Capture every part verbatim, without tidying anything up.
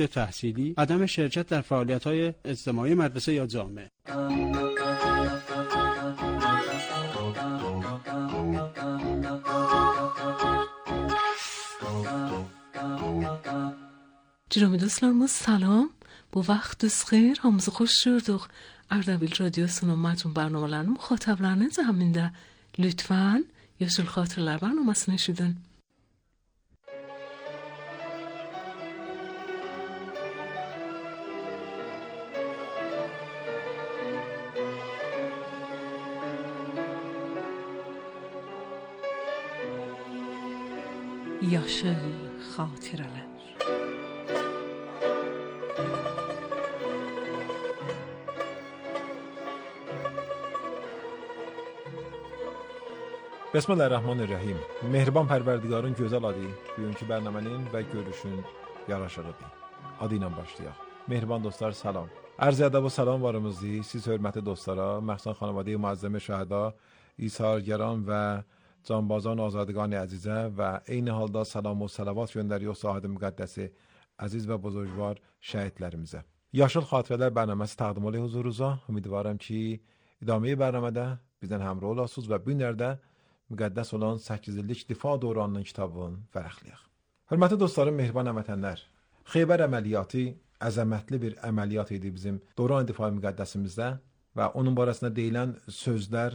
تحصیلی، عدم شرکت در فعالیت‌های اجتماعی مدرسه یا جامعه. جناب دوستlarımız salam. Bu vaxtınız xeyir. Hamınızı xoş gördük. Ardabil Radiosu'nun məcmun برنامه‌larının müxatablarının zəminində lütfən Yaşıl Xatirələr برنامəsini eşidin. Yaşıl Xatirələr. Bismillahirrahmanirrahim. Mehriban Pərverdigarın gözəl adı bugünkü bərnamənin və görüşün yaraşığıdır. Adı ilə başlayaq. Mehriban dostlar salam. Ərz ədəb və salam varımızdır. Siz hörmətli dostlara, məxsən xanəvadə-i müəzzəmə şəhəda, İsargəran və canbazan azadگان əzizə və eyni halda salam və salavat göndəriyor sahədə müqəddəsi əziz və buzurgvar şəhidlərimizə. Yaşıl Xatirələr bərnaməsi təqdim olunur huzurunuza. Ümidvaram ki, idamə bərnamədə bizdən həmrəh olasınız və bu günlərdə müqəddəs olan səkkiz illik difa dövranının kitabını vərəqləyək. Hörmətli dostlarım, mehriban həmvətənlər, Xeybər əməliyyatı əzəmətli bir əməliyyat idi bizim dövran difa müqəddəsimizdə və onun barəsində deyilən sözlər,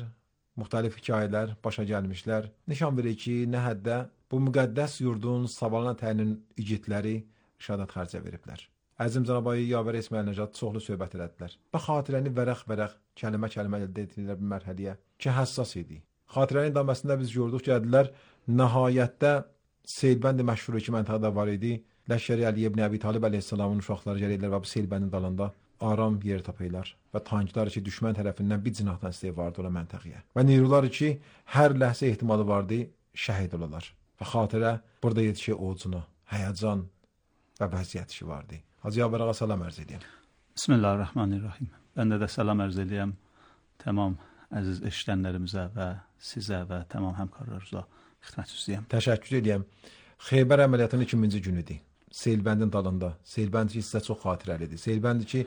müxtəlif hekayələr başa gəlmişlər. Nişan verir ki, nə həddə bu müqəddəs yurdun sabalına təyinin igidləri şəhadat xərcə veriblər. Əzim Cənab-ı Yavər İsmail Nəcad çoxlu söhbət elədilər və xatirəni vərəq-vərəq, kəlmə-kəlmə əldə etdilər bir mərhələyə ki, həssas idi. Xatirənin daməsində biz gördük ki, ədilər nəhayətdə Seylbənd məşhur iki məntəqədə var idi. Ləşkəri Əli ibn Əbi Talib əleyhissalamın uşaqları gəlirlər və bu Seylbəndin dalında aram yer tapırlar və tanklar ki, düşmən tərəfindən bir cinahdan istəyi vardı ola məntəqəyə. Və neyrular ki, hər ləhsə ehtimalı vardı, şəhid olalar. Və xatirə burada yetişir oğucuna, həyəcan və vəziyyət işi vardı. Hacı Yavər ağa salam ərz edəyəm. Bismillahirrahmanirrahim. Mən də də salam ərz edəyəm tamam əziz eşidənlərimizə və sizə və tamam həmkarlarınıza xidmət istəyirəm. Təşəkkür edirəm. Xeybər əməliyyatının ikinci günüdür. Seylbəndin dalında. Seylbənd ki, sizə çox xatirəlidir. Seylbənd ki,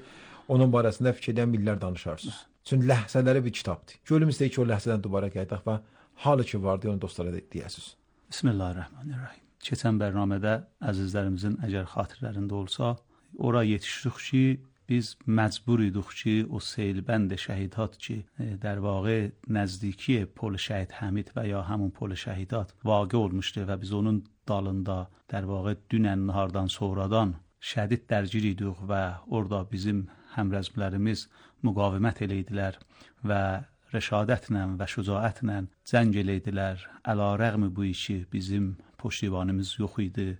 onun barəsində fikir edən millər danışarsınız. Çünki ləhzələri bir kitabdır. Gölüm istəyir ki, o ləhzədən dubara qayıdaq və halı ki vardı, onu dostlara deyəsiniz. Bismillahirrahmanirrahim. Keçən bərnamədə əzizlərimizin əgər xatirələrində olsa, ora yetişdik ki, biz məcbur idik ki, o Seylbənd şəhidat ki, در واقع نزدیکی پل شهید حمید و یا همون پل şəhidat واقع olmuşdu və biz onun dalında در واقع dünən nahardan sonradan şədid dərgir idik və orada bizim həmrəzmlərimiz müqavimət eləydilər və rəşadətlə və şücaətlə cəng eləydilər. Əlarəğmi bu işi bizim puştivanımız yox idi.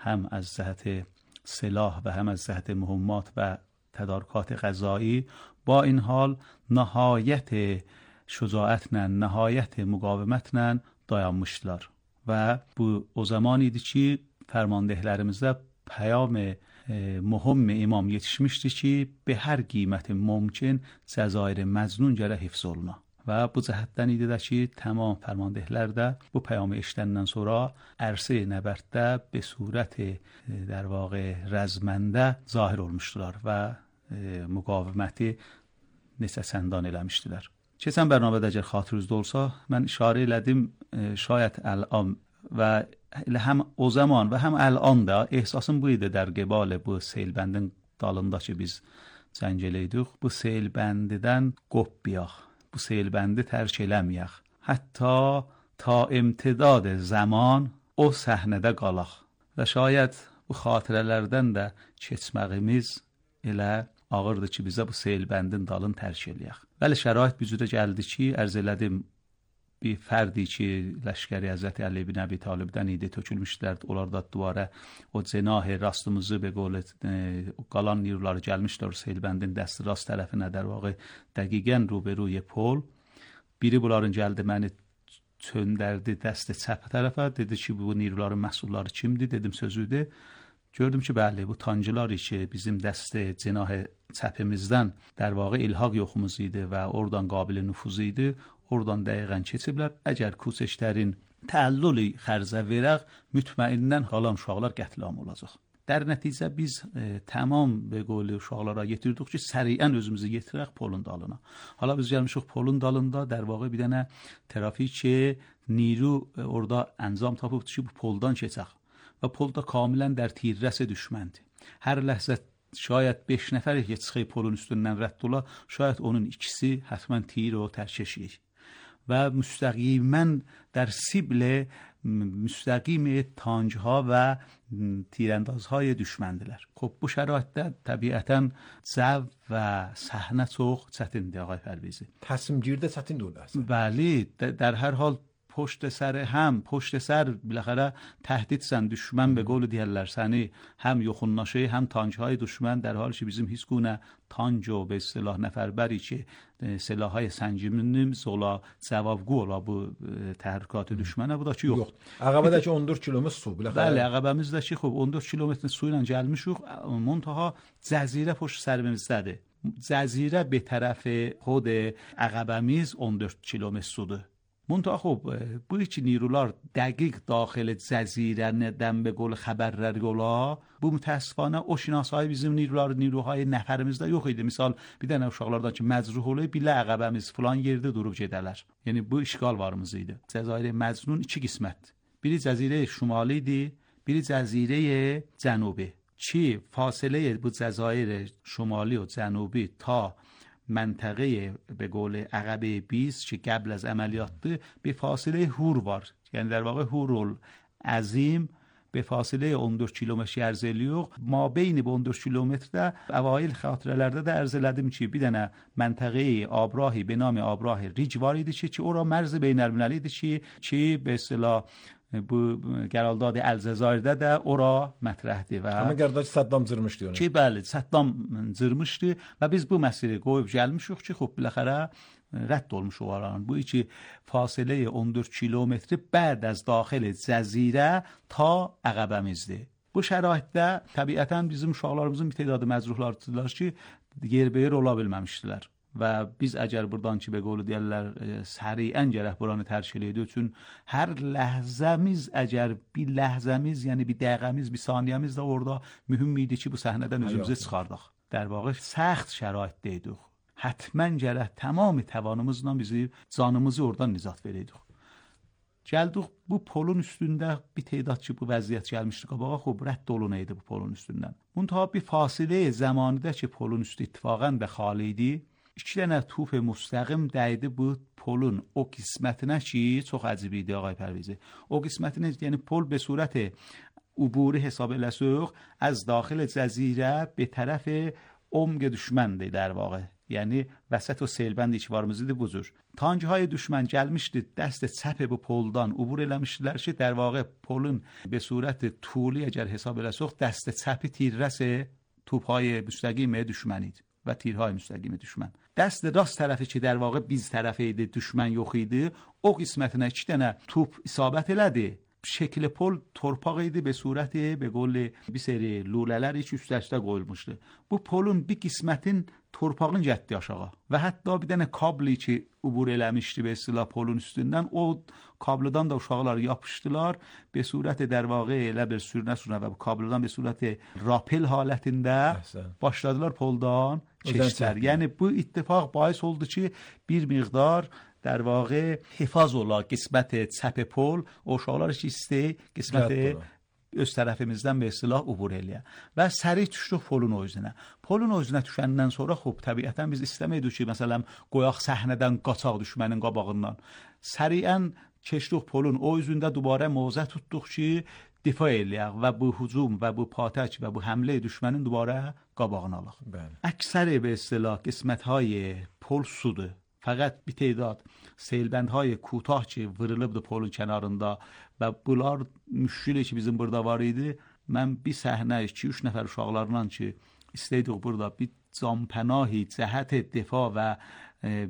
Həm از جهت سلاح و هم از جهت مهمات و تدارکات غذایی. با این حال نهایت شجاعتlə, nəhayət müqavimətlə dayanmışdılar. Və bu o zaman idi ki, fərmandehlərimizdə pəyam mühüm imam yetişmişdi ki, be hər qiymətin mümkün Cəzair Məcnun gərək hifz oluna. Və bu cəhətdən idi də ki, tamam fərmandehlər də bu pəyamı eşidəndən sonra ərsə nəbərddə be surət در واقع rəzməndə zahir olmuşdular və e, müqaviməti neçə səndان eləmişdilər. Keçən bərnamədə əgər xatırınızda olsa, mən işarə elədim e, şayət الان və elə həm o zaman və həm الان da ehsasım bu idi در قبال bu Seylbəndin dalında ki, biz cəng eləydik. Bu Seylbəndidən qopbiyaq, bu Seylbəndi tərk eləməyək. Hətta ta imtidad zaman o səhnədə qalaq və şayət bu xatirələrdən də keçməyimiz elə ağırdır ki, bizə bu Seylbəndin dalını tərk eləyək. Bəli, şərait bir cürə gəldi ki, ərz elədim, bir fərdi ki, Ləşkəri Həzrəti Əli ibn Əbi Talibdən idi, tökülmüşdülərdi. Onlar da duvara o cenah-ı rastımızı be qol qalan nirları gəlmişlər Seylbəndin dəsti rast tərəfinə در واقع dəqiqən ruberuy pol. Biri bunların gəldi məni çöndərdi dəsti çəp tərəfə, dedi ki, bu nirların məhsulları kimdir? Dedim sözüdür. Gördüm ki, bəli, bu tancılar ki, bizim dəsti cenah çəpimizdən در واقع ilhaq yoxumuz idi və oradan qabil nüfuz idi. Oradan dəqiqən keçiblər. Əgər kuçeşlərin təəllüli xərzə verək, mütməindən qalan uşaqlar qətlam olacaq. در نتیجه biz e, tamam به قول uşaqlara yetirdik ki səriən özümüzü yetirək polun dalına. Hala biz gəlmişik polun dalında در واقع bir dənə trafik نیرو orada انجام tapıbdı ki bu poldan keçək və polda kamilən در تیررس düşməndi. Hər ləhzə şayət beş nəfər keçək polun üstündən rədd ola, şayət onun ikisi həttəmən tir o tərkeşik. و مستقیما در سیبل مستقیم تانجها و تیراندازهای دشمندیler. خب bu şəraitdə təbiətən zəv və səhnə çox çətindir ağay Pərvizi. تصمیمگیریdə çətindir o da. بله در هر حال پشت سر هم پشت سر بالاخره تهدیدسن düşmən به قول دیگرler səni هم yoxunlaşır هم تانجهای düşmən در حالی ki bizim heç guna تانج و به اصطلاح نفربری که سلاح‌های سنجیمنی ola cavabgü ola bu təhrikات düşmənə bu da ki yox. Yox. Ağabədəki on dörd kilometr su biləxərə. Bəli, ağabəmizdəki xub on dörd kilometr su ilə gəlmişik. Muntaha cəzirə pişt sərimizdədir. Cəzirə به طرف خود ağabəmiz on dörd kilometr sudur. منتها خب بوی که نیروlar دقیق داخل جزیره ندن به قول خبرlər yola bu mütəəssifانə o şinasayı bizim نیروlar نیروهای nəfərimizdə yox idi. Misal bir dənə uşaqlardan ki məcruh olur bilə əqəbəmiz filan yerdə durub gedələr. Yəni bu işgal varımız idi. Cəzair Məcnun iki qismətdir. Biri cəzirə şimali idi, biri cəzirə cənubi. Ki fasilə bu cəzair şimali و جنوبی تا منطقه به قول عقبه بیست که قبل از عملیات به فاصله هور var. یعنی در واقع هورول عظیم به فاصله on dörd kilometr ərzəliyox. ما بین bu on dörd kilometrdə اوایل خاطرələrdə də ərz elədim ki, bir dənə منطقه آبراهی به نام آبراه ریج var idi ki, ki ora مرز بین‌المللی idi ki, ki به اصطلاح bu qərargah Əlcəzairdə də ora mətrəhdir və amma qərdəki Saddam cırmışdı onu. Ki bəli, Saddam cırmışdı və biz bu məsələyi qoyub gəlmişik ki, xop biləxərə rədd olmuş olaraq. Bu iki fasilə on dörd kilometr بعد از داخل cəzirə ta əqəbəmizdir. Bu şəraitdə təbiətən bizim uşaqlarımızın bir tədadı məcruhlardılar ki, yerbəyer ola bilməmişdilər. Və biz əgər buradan ki به قول deyirlər səriən gərək buranı tərk elədik üçün hər ləhzəmiz əgər bir ləhzəmiz yəni bir dəqiqəmiz bir saniyəmiz də orada mühüm idi ki bu səhnədən özümüzü çıxardıq. در واقع سخت şəraitdə idik. Həttəmən gərək tamam təvanımızla bizi canımızı oradan nizat verəydik. Gəldik bu polun üstündə bir tədad ki bu vəziyyət gəlmişdi qabağa xub rədd olunaydı bu polun üstündən. Muntaha bir fasilə zamanıda ki polun üstü ittifaqən və xali idi. İki dənə توپ مستقیم dəydi bu polun o qismətinə ki çox əcib idi ağay Pərvizi. O qismətinə yəni pol به صورت عبوری حساب eləsək از داخل جزیره به طرف عمق düşməndir در واقع. Yəni vəsət o selbəndi ki varımız idi bu cür. Tankهای düşmən gəlmişdi dəst çəp bu poldan عبور eləmişdilər ki در واقع polun به صورت طولی əgər hesab eləsək dəst çəpi تیررس توپهای مستقیم düşmən idi و تیرهای مستقیم düşmən. دست راست طرفی که در واقع biz tərəfi idi düşmən yox idi o qismətinə iki dənə top isabət elədi. Şəkil pol torpaq idi به صورت به قول bir seri lulalar heç üstə-üstə qoyulmuşdu. Bu polun bir qismətin torpağın getdi aşağı və hətta bir dənə kabli ki ubur eləmişdi به اصطلاح polun üstündən o kablodan da uşaqlar yapışdılar به صورت در واقع elə bir sürünə-sürünə və bu kablodan به صورت rapel halətində başladılar poldan keçdilər. Yəni bu ittifaq باعث oldu ki bir miqdar در واقع حفاظ ola qismət çəp pol o uşaqlar ki istə qismət öz tərəfimizdən به اصطلاح ubur eləyə və səri düşdük polun özünə. Polun özünə düşəndən sonra xub təbiətən biz istəməyidik ki məsələn qoyaq səhnədən qaçaq düşmənin qabağından. Səriən keçdik polun o üzündə دوباره موضع tutduq ki دفاع eləyək və bu hücum və bu پاتک və bu həmlə düşmənin دوباره qabağını alaq. Əksər به اصطلاح qismətهای pol sudur. فقط bir تعداد سیلبندهای کوتاه که vurulubdu polun kənarında və bunlar müşkülə ki bizim burada var idi. Mən bir səhnə iki üç nəfər uşaqlarla ki istəydik burada bir canpənahi cəhət دفاع və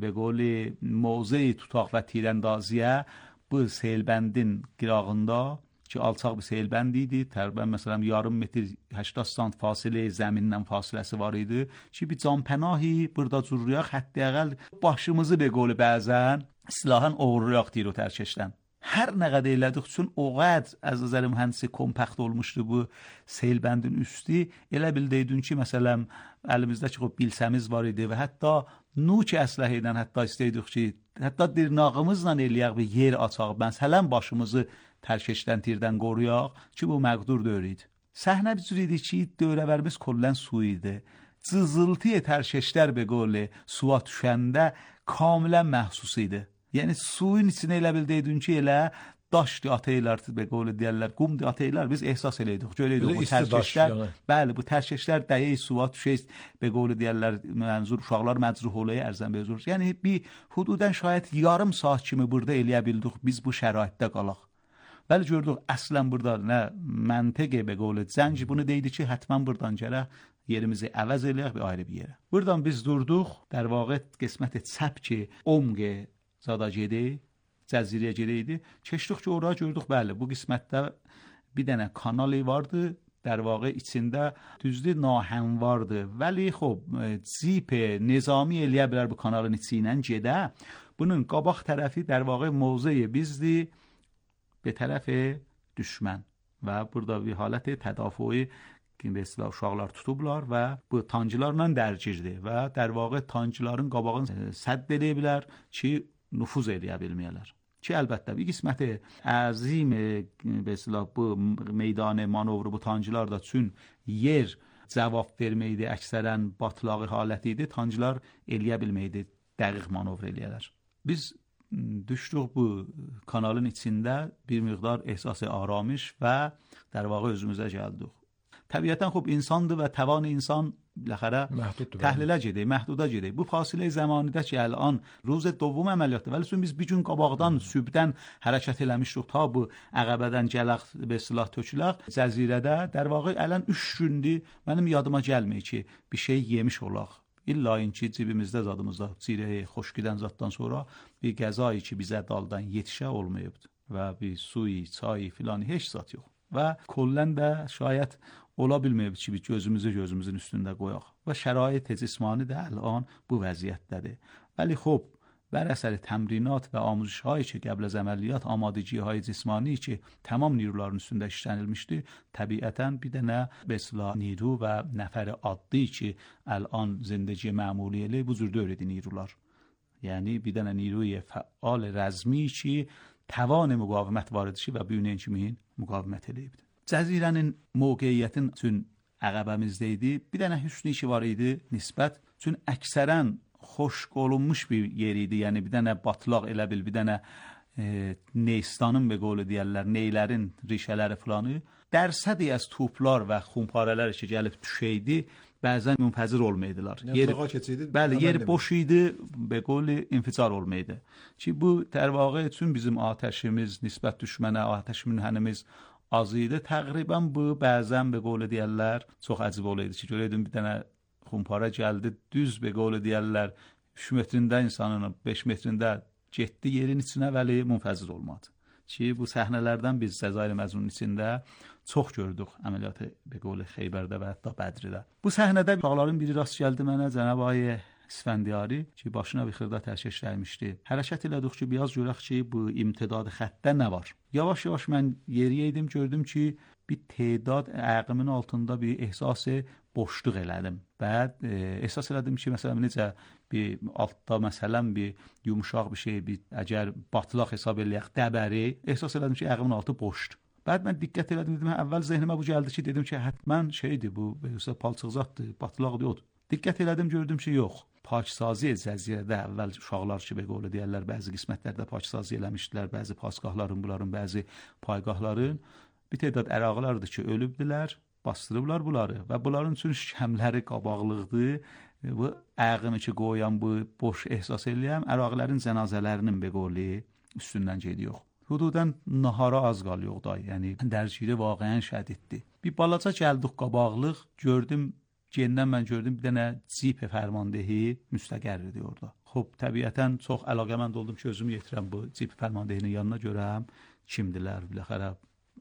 به قول موضع tutaq və تیراندازیه bu سیلبندin qırağında ki alçaq bir selbənd idi. Təqribən məsələn yarım metr هەشتاد سانت fasilə zəmindən fasiləsi var idi. Ki bir canpənahi burada cürrüyək hətta əqəl başımızı به قول bəzən silahın oğurlayaq tiro tərkəşdən. Hər nə qədər elədik üçün o qədər az nظر mühəndisi kompakt olmuşdu bu seyl-bəndin üstü. Elə bildiydin ki, məsələn, əlimizdəki o bilsəmiz var idi və hətta nuç əsləhə ilə hətta istəydik ki, hətta dırnağımızla eləyək bir yer açaq. Məsələn, başımızı tərkeşdən, tirdən qoruyaq ki, bu məqdur deyil idi. Səhnə bir cür idi ki, dövrəvərimiz kollən su idi. Cızıltı tərkeşlər be qolu suya düşəndə kamilən məhsus idi. Yəni suyun içinə elə bildiydin ki, elə daşdı ataylar be qolu deyirlər, qumdu ataylar, biz ehsas eləydik. Görəydik bu tərkeşlər. Bəli, bu tərkeşlər dəyə suya düşür be qolu deyirlər, mənzur uşaqlar məcruh olayı ərzən bezur. Yəni bir hududən şayət yarım saat kimi burada eləyə bildik biz bu şəraitdə qalaq. Bəli gördük əslən burada nə məntiqə be qolu zənci bunu deydi ki, həttəmən buradan gələk yerimizi əvəz eləyək bir ayrı bir yerə. Buradan biz durduq, در واقع قسمت سبک عمق zada gedi, cəzirəyə gedəydi. Keçdik ki, oraya gördük, bəli, bu qismətdə bir dənə kanali vardı, در واقع içində düzdür nahəmvardı. Vəli xub, zip nizami eləyə bilər bu kanalın içindən gedə. Bunun qabaq tərəfi در واقع موضع bizdir به طرف düşmən və burada bir halət tədafüyü ki, به اصطلاح uşaqlar tutublar və bu tancılarla dərgirdi və در واقع tancıların qabağını sədd edə bilər ki, nüfuz edə bilməyələr. Ki, əlbəttə, bir qisməti əzim به اصطلاح bu meydan manovru bu tancılar da çün yer cavab verməkdir, əksərən batlağı halət idi, tancılar eləyə bilməkdir, dəqiq manovr eləyələr. Biz düşdük bu kanalın içində bir miqdar ehsas aramış və در واقع özümüzə gəldik. Təbiətən xub insandır və təvan insan biləxərə təhlilə gedir, məhduda gedir. Bu fasilə zamanıda ki, الان روز دوم əməliyyatdır. Vəli biz bir gün qabaqdan, sübdən hərəkət eləmişdik ta bu əqəbədən gələk, به اصطلاح töküləq. Cəzirədə در واقع الان üç gündür mənim yadıma gəlmir ki, bir şey yemiş olaq. İlla ki, cibimizdə zadımızda çirəyi xoş gedən zaddan sonra bir qəzayı ki, bizə daldan yetişə olmayıbdı və bir suyu, çayı filan heç zat yox. Və kollən də şayət ola bilməyib ki, bir gözümüzü gözümüzün üstündə qoyaq. Və şərait cismani də الان bu vəziyyətdədir. Vəli xub, bər əsəri təmrinat və amuzişhایی ki, qəbl az əməliyyat amadiciهای cismani ki, tamam نیروların üstündə işlənilmişdi, təbiətən bir dənə besla نیرو və nəfər addi ki, الان زندگی معمولی elə bu cür dövredi نیروlar. Yəni bir dənə نیروی فعال rəzmi ki, توان müqavimət var idi ki, və bu ilə kimin müqavimət eləyibdi. Cəzirənin mövqeyiyyətin üçün əqəbəmizdə idi. Bir dənə hüsnü ki var idi nisbət. Çünki əksərən xoş olunmuş bir yer idi. Yəni bir dənə batlaq elə bil, bir dənə e, neystanın və qolu deyərlər, neylərin rişələri filanı. Dərsədi az toplar və xumparələr ki gəlib düşəydi, bəzən münfəzir olmaydılar. Yer, bəli, yer boş idi, və qolu inficar olmaydı. Ki bu در واقع üçün bizim atəşimiz, nisbət düşmənə atəş münhənimiz az idi. Təqribən bu bəzən və qolu deyərlər çox əcib olaydı ki, görəydin bir dənə xumparə gəldi, düz və qolu deyərlər üç metrində insanın beş metrində getdi yerin içinə, vəli münfəzir olmadı. Ki bu səhnələrdən biz Cəzair məzunun içində çox gördük əməliyyatı və qolu Xeybərdə və hətta Bədridə. Bu səhnədə uşaqların biri rast gəldi mənə, Cənab Ay İsfəndiyari ki, başına bir xırda tərkəşləymişdi. Hərəkət elədik ki, biraz görək ki, bu imtidad xəttdə nə var? Yavaş-yavaş mən yeriyəydim, gördüm ki, bir tedad əqimin altında bir ehsası boşluq elədim. Bəd e, ehsas elədim ki, məsələn, necə bir altda məsələn bir yumuşaq bir şey, bir əgər batlaq hesab eləyək, dəbəri, ehsas elədim ki, əqimin altı boşdur. Bəd mən diqqət elədim, dedim, əvvəl zehnimə bu gəldi ki, dedim ki, həttəmən şeydir bu, palçıqzatdır, batlaq deyildir. Diqqət elədim, gördüm ki, yox. Paksazi cəzirədə əvvəl uşaqlar ki, belə deyərlər, bəzi qismətlərdə paksazi eləmişdilər, bəzi pasqahların, bunların, bəzi paygahların. Bir tədad əraqlardır ki, ölübdülər, bastırıblar bunları və bunların üçün şəmləri qabaqlıqdır. Bu əqimi ki, qoyan, bu boş ehsas eləyəm, əraqlərin cənazələrinin bəqoli üstündən gediyor. Hududən nahara az qalıyor da, yəni dərgiri vaqəyən şədiddir. Bir balaca gəldik qabaqlıq, gördüm, gendən mən gördüm bir dənə cip fərmandehi müstəqərridir orada. Xub, təbiətən çox əlaqəmənd oldum ki, özümü yetirəm bu cip fərmandehinin yanına görəm, kimdilər, biləxərə,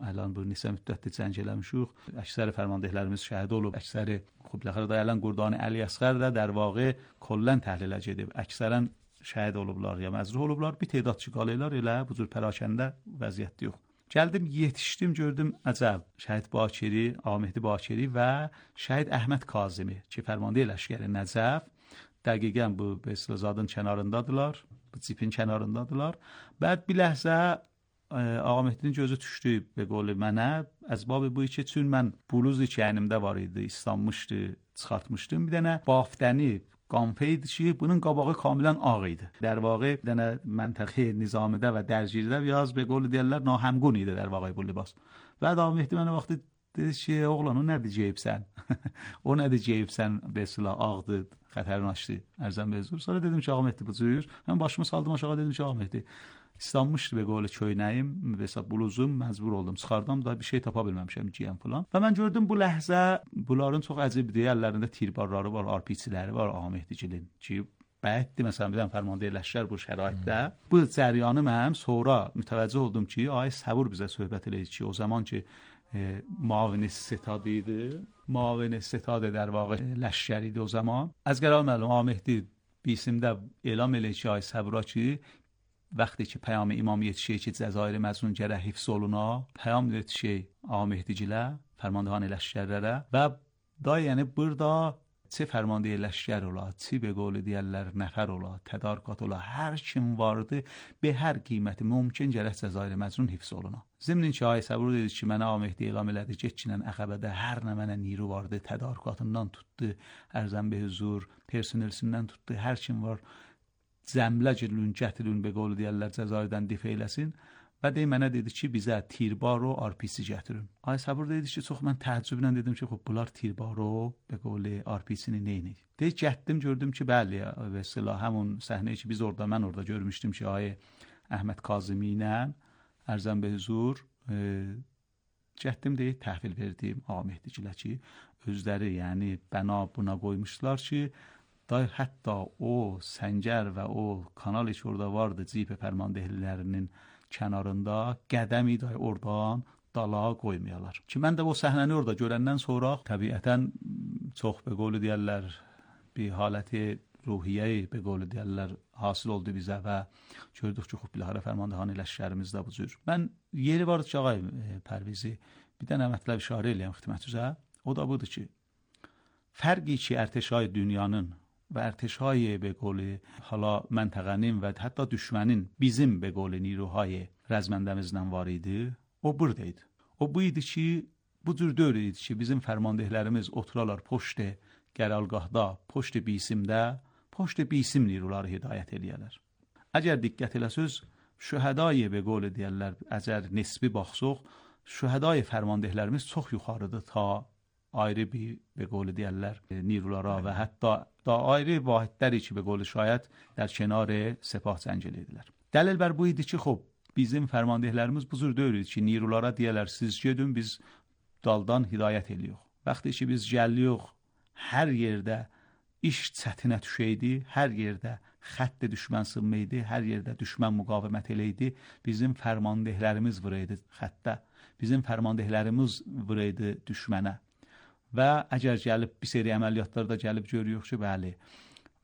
ələn bu nisə müddətdir cəng eləmişik. Əksəri fərmandehlərimiz şəhid olub, əksəri, xub, biləxərə dayələn Qurdani Əli Əsqər də در واقع kollən təhlilə gedib. Əksərən şəhid olublar ya məzruh olublar. Bir tədad çıxalaylar elə bu cür pərakəndə vəziyyət yox. Gəldim, yetişdim, gördüm əcəb. Şəhid Bakiri, Ağamehdi Bakiri və şəhid Əhməd Kazimi ki, fərmandıyə ləşkəri Nəcəf dəqiqən bu Beslazadın kənarındadılar, bu cipin kənarındadılar. Bəd bir ləhzə Ağamehdinin gözü düşdü və qolu mənə, əzbabı bu ki, çün mən buluz ki, əynimdə var idi, islanmışdı, çıxartmışdım. Bir dənə baftəni, qanfeydi ki, bunun qabağı kamilən ağ idi. در واقع bir dənə məntiqi nizamidə və dərcilidə biraz به قول deyirlər nahəmqun idi در واقع bu libas. Və Ağamehdi mənə vaxtı dedi ki, oğlan o nədir ceyibsən? O nədir ceyibsən? Besila ağdı, xətərin açdı. Ərzən bezur. Sonra dedim ki, Ağamehdi bu cür. Mən başımı saldım aşağı, dedim ki, Ağamehdi İslanmışdı be qolu köynəyim, mesela bluzum, məcbur oldum, çıxardım da bir şey tapa bilməmişəm giyəm falan. Və mən gördüm bu ləhzə, bunların çox əcibdir, əllərində tirbarları var, arpiçiləri var Ağamehdicilin ki, bəddir, məsələn, bir dənə fərmandıya ləşkər bu şəraitdə. Hmm. Bu cəryanı mənim sonra mütəvəccüh oldum ki, ay Səbur bizə söhbət eləyir ki, o zaman ki, e, mavini setad idi, mavini setad در واقع ləşkər idi o zaman. از قرار معلوم Ağamehdi بیسیمdə elam eləyir ki, ay Səbura ki, وقتی که پیام امام یتیشه که جزایر مظنون گره حفظ oluna پیام yetişey Ağamehdicilə, fərmandəhane ləşkərlərə və da yəni burada çi fərmandiyə ləşkər ola, çi be qolu deyərlər nəfər ola, tədarükat ola, hər kim vardı be hər qiyməti mümkün gərək cəzair məcnun hifz oluna. Zimnin ki, ay Səbur dedi ki, mənə Ağamehdi elam elədi, getçinən Əxəbədə hər nə mənə niru vardı, tədarükatından tutdu, ərzən be huzur, personelsindən tutdu, hər kim var, zəmlə girilün, gətirin be qolu deyərlər cəzairdən difə eləsin və dey mənə dedi ki, bizə tirbar o arpisi gətirin. Ay Səbur dedi ki, çox mən təəccüblə dedim ki, xub bunlar tirbar o be qolu arpisini neynir? Dey gətdim, gördüm ki, bəli, və silah həmun səhnəyi ki, biz orada, mən orada görmüşdüm ki, ay Əhməd Kazimi ilə ərzən be huzur e, gətdim deyib təhvil verdim Ağamehdicilə ki, özləri yəni bəna buna qoymuşlar ki, da hətta o səngər və o kanal heç orada vardı cip fərmandehlilərinin kənarında qədəmi də oradan dala qoymayalar. Ki mən də o səhnəni orada görəndən sonra təbiətən çox be qolu deyərlər bir haləti ruhiyyə be qolu deyərlər hasil oldu bizə və gördük ki, xub bilahara fərmandəhane ləşkərimizdə bu cür. Mən yeri vardı ki, ağay e, Pərvizi bir dənə mətləb işarə eləyəm xidmətüzə. O da budur ki, fərqi ki, ərtəşay dünyanın و ارتشای به قول حالا منطقه‌nin و حتی düşmənin bizim به قول نیروهای رزمندəmizdən var idi. O buradaydı. O bu idi ki, bu cür dövr idi ki, bizim fərmandehlərimiz oturalar poşt qərargahda, poşt bisimdə, poşt bisim نیروları hidayət eləyərlər. Əgər diqqət eləsəz, şühədai به قول deyirlər, əgər nisbi baxsaq, şühədai fərmandehlərimiz çox yuxarıdır ta ayrı bir به قول deyirlər نیروlara və hətta da ayrı vahidləri ki به قول şayət در کنار سپاه جنگ edirdilər. Dəlil bər bu idi ki, xop bizim fərmandehlərimiz bu cür dövr idi ki, نیروlara deyirlər siz gedin, biz daldan hidayət eləyirik. Vaxtı ki biz gəlirik, hər yerdə iş çətinə düşəydi, hər yerdə xətt düşmən sınmaydı, hər yerdə düşmən müqavimət eləydi, bizim fərmandehlərimiz vuraydı xəttə, bizim fərmandehlərimiz vuraydı düşmənə. Və əgər gəlib bir seri əməliyyatlarda gəlib görüyoruz ki, bəli,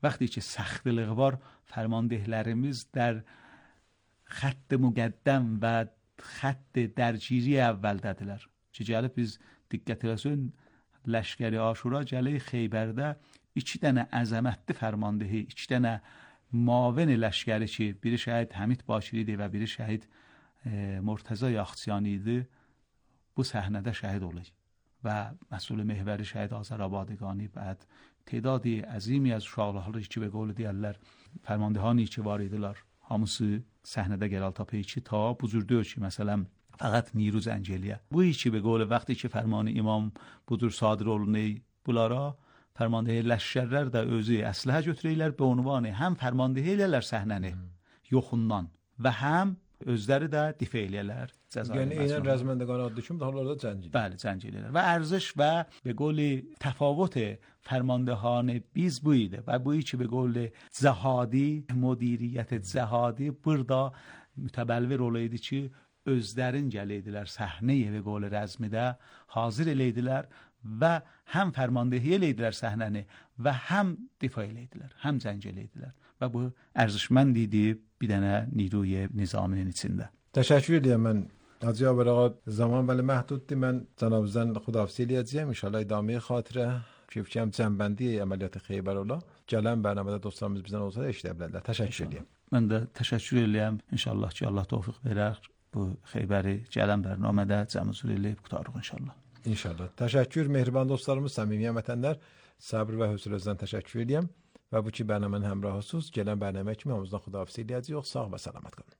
vaxtı ki səxtlilik var, fərmandehlərimiz در xətt müqəddəm və xətt dərgiri əvvəldədirlər. Ki gəlib biz diqqət eləsin, Ləşkəri Aşura gəlir Xeybərdə iki dənə əzəmətli fərmandehi, iki dənə mavin ləşkəri ki, biri şəhid Həmid Bakiri idi və biri şəhid e, Murtəza Yaxçiyani idi, bu səhnədə şəhid olur. و مسئول محوری شهید آذرآبادگانی بعد تعدادی عظیمی از uşaqları ki به قول deyirlər fərmandehani ki var idilər hamısı səhnədə gəlal ki ta bu cür deyir ki məsələn faqat نیرو زنجلیه bu ki به قول وقتی ki fərmanı imam bu cür sadir olunur bunlara fərmandehi ləşkərlər də özü əsləhə götürürlər be ünvanı həm fərmandehi elərlər səhnəni yoxundan və həm özləri də difə eləyərlər cəzair. Yəni eynən rəzməndəqan adlı kimi daha orada cəngil. Bəli, cəngil eləyər. Və ərziş və به قول تفاوت فرماندهان biz bu idi və bu ki به قول cəhadi, müdiriyyət cəhadi burada mütəbəlvir olaydı ki, özlərin gəliydilər səhnəyə به قول rəzmidə hazır eləydilər və həm fərmandehliyə eləyidilər səhnəni və həm difaa eləyidilər, həm zəng eləyidilər və bu ərزشمند idi bir dənə نیروی nizaminin içində. Təşəkkür edirəm. Mən Hacı Yavər ağa zaman ولی محدودdur. Mən cənabınızdan xudahafizی eləyəcəyəm. İnşallah idamə xatirə ki fikirəm cənbəndi əməliyyat Xeybərula gələn bərnamədə dostlarımız bizdən olsa da eşidə bilərlər. Təşəkkür edirəm. Mən də təşəkkür edirəm. İnşallah ki Allah tövfiq verər. Bu Xeybəri gələn bərnamədə cəmüzül eləyib qutarıq inşallah. İnşallah. Təşəkkür mehriban dostlarımız, səmimi vətəndaşlar. Səbr və hövsələnizdən təşəkkür edirəm. Və bu ki bərnamənin həmrahısınız. Gələn bərnamə kimi hamımızdan xudahafizə eləyəcəyik. Sağ və salamat qalın.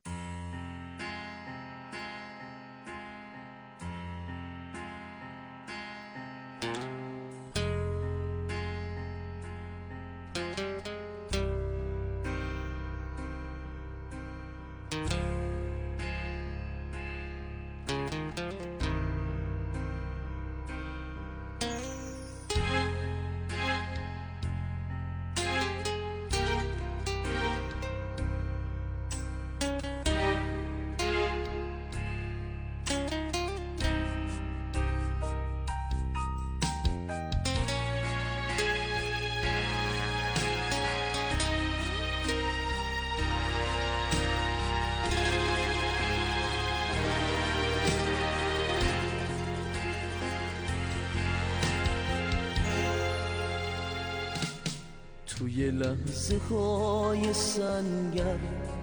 توی لحظه های سنگر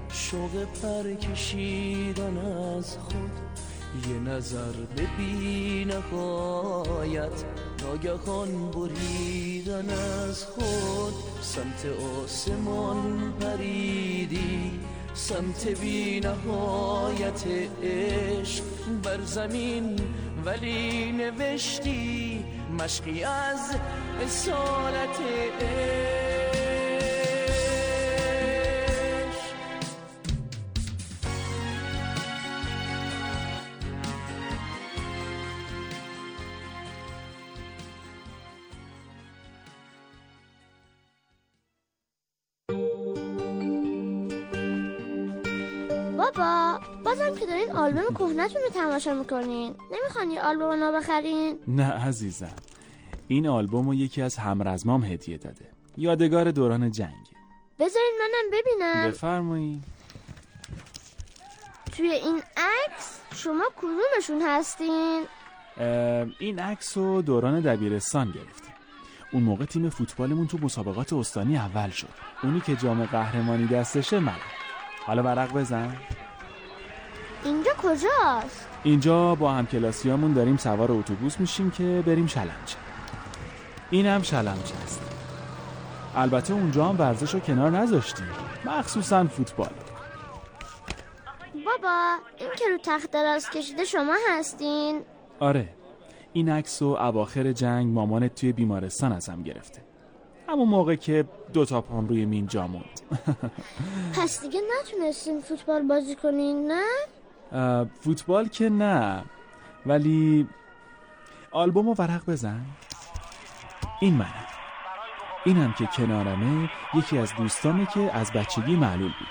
شوق پر کشیدن از خود یه نظر به بی نهایت ناگهان بریدن از خود سمت آسمان پریدی سمت بی نهایت عشق بر زمین ولی نوشتی مشقی از اصالت عشق بابا بازم که دارین آلبوم کهنه‌تون رو تماشا میکنین نمیخوان یه آلبوم نو بخرین؟ نه عزیزم، این آلبوم رو یکی از همرزمام هدیه داده، یادگار دوران جنگ. بذارین منم ببینم. بفرمایید. توی این عکس شما کدومشون هستین؟ این عکس رو دوران دبیرستان گرفتیم. اون موقع تیم فوتبالمون تو مسابقات استانی اول شد. اونی که جام قهرمانی دستشه من. حالا ورق بزن. اینجا کجاست؟ اینجا با همکلاسیامون داریم سوار اتوبوس میشیم که بریم شلمچه. این هم شلمچه است. البته اونجا هم ورزش رو کنار نذاشتیم، مخصوصا فوتبال. بابا این که رو تخت دراز کشیده شما هستین؟ آره، این عکس رو اواخر جنگ مامانت توی بیمارستان ازم گرفته، همون موقع که دو تا پام روی مین جا موند. پس دیگه نتونستین فوتبال بازی کنین نه؟ فوتبال که نه، ولی آلبوم رو ورق بزن. این منم. اینم که کنارمه یکی از دوستامه که از بچگی معلول بود.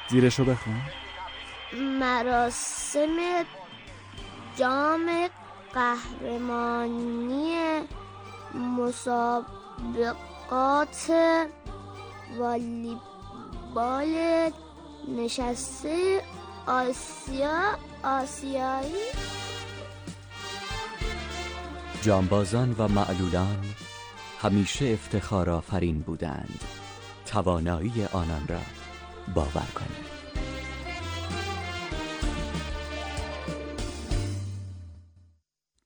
زیرشو بخون. مراسم جام قهرمانی مسابقات والیبال نشسته آسیا آسیایی. جانبازان و معلولان همیشه افتخار آفرین بودند. توانایی آنان را باور کنید.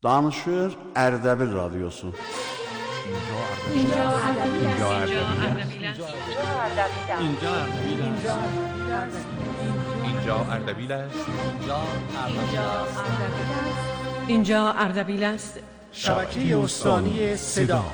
Danışır Ərdəbil Radiosu. اینجا اردبیل اینجا اردبیل است. اینجا اردبیل است. شبکه استانی صدا.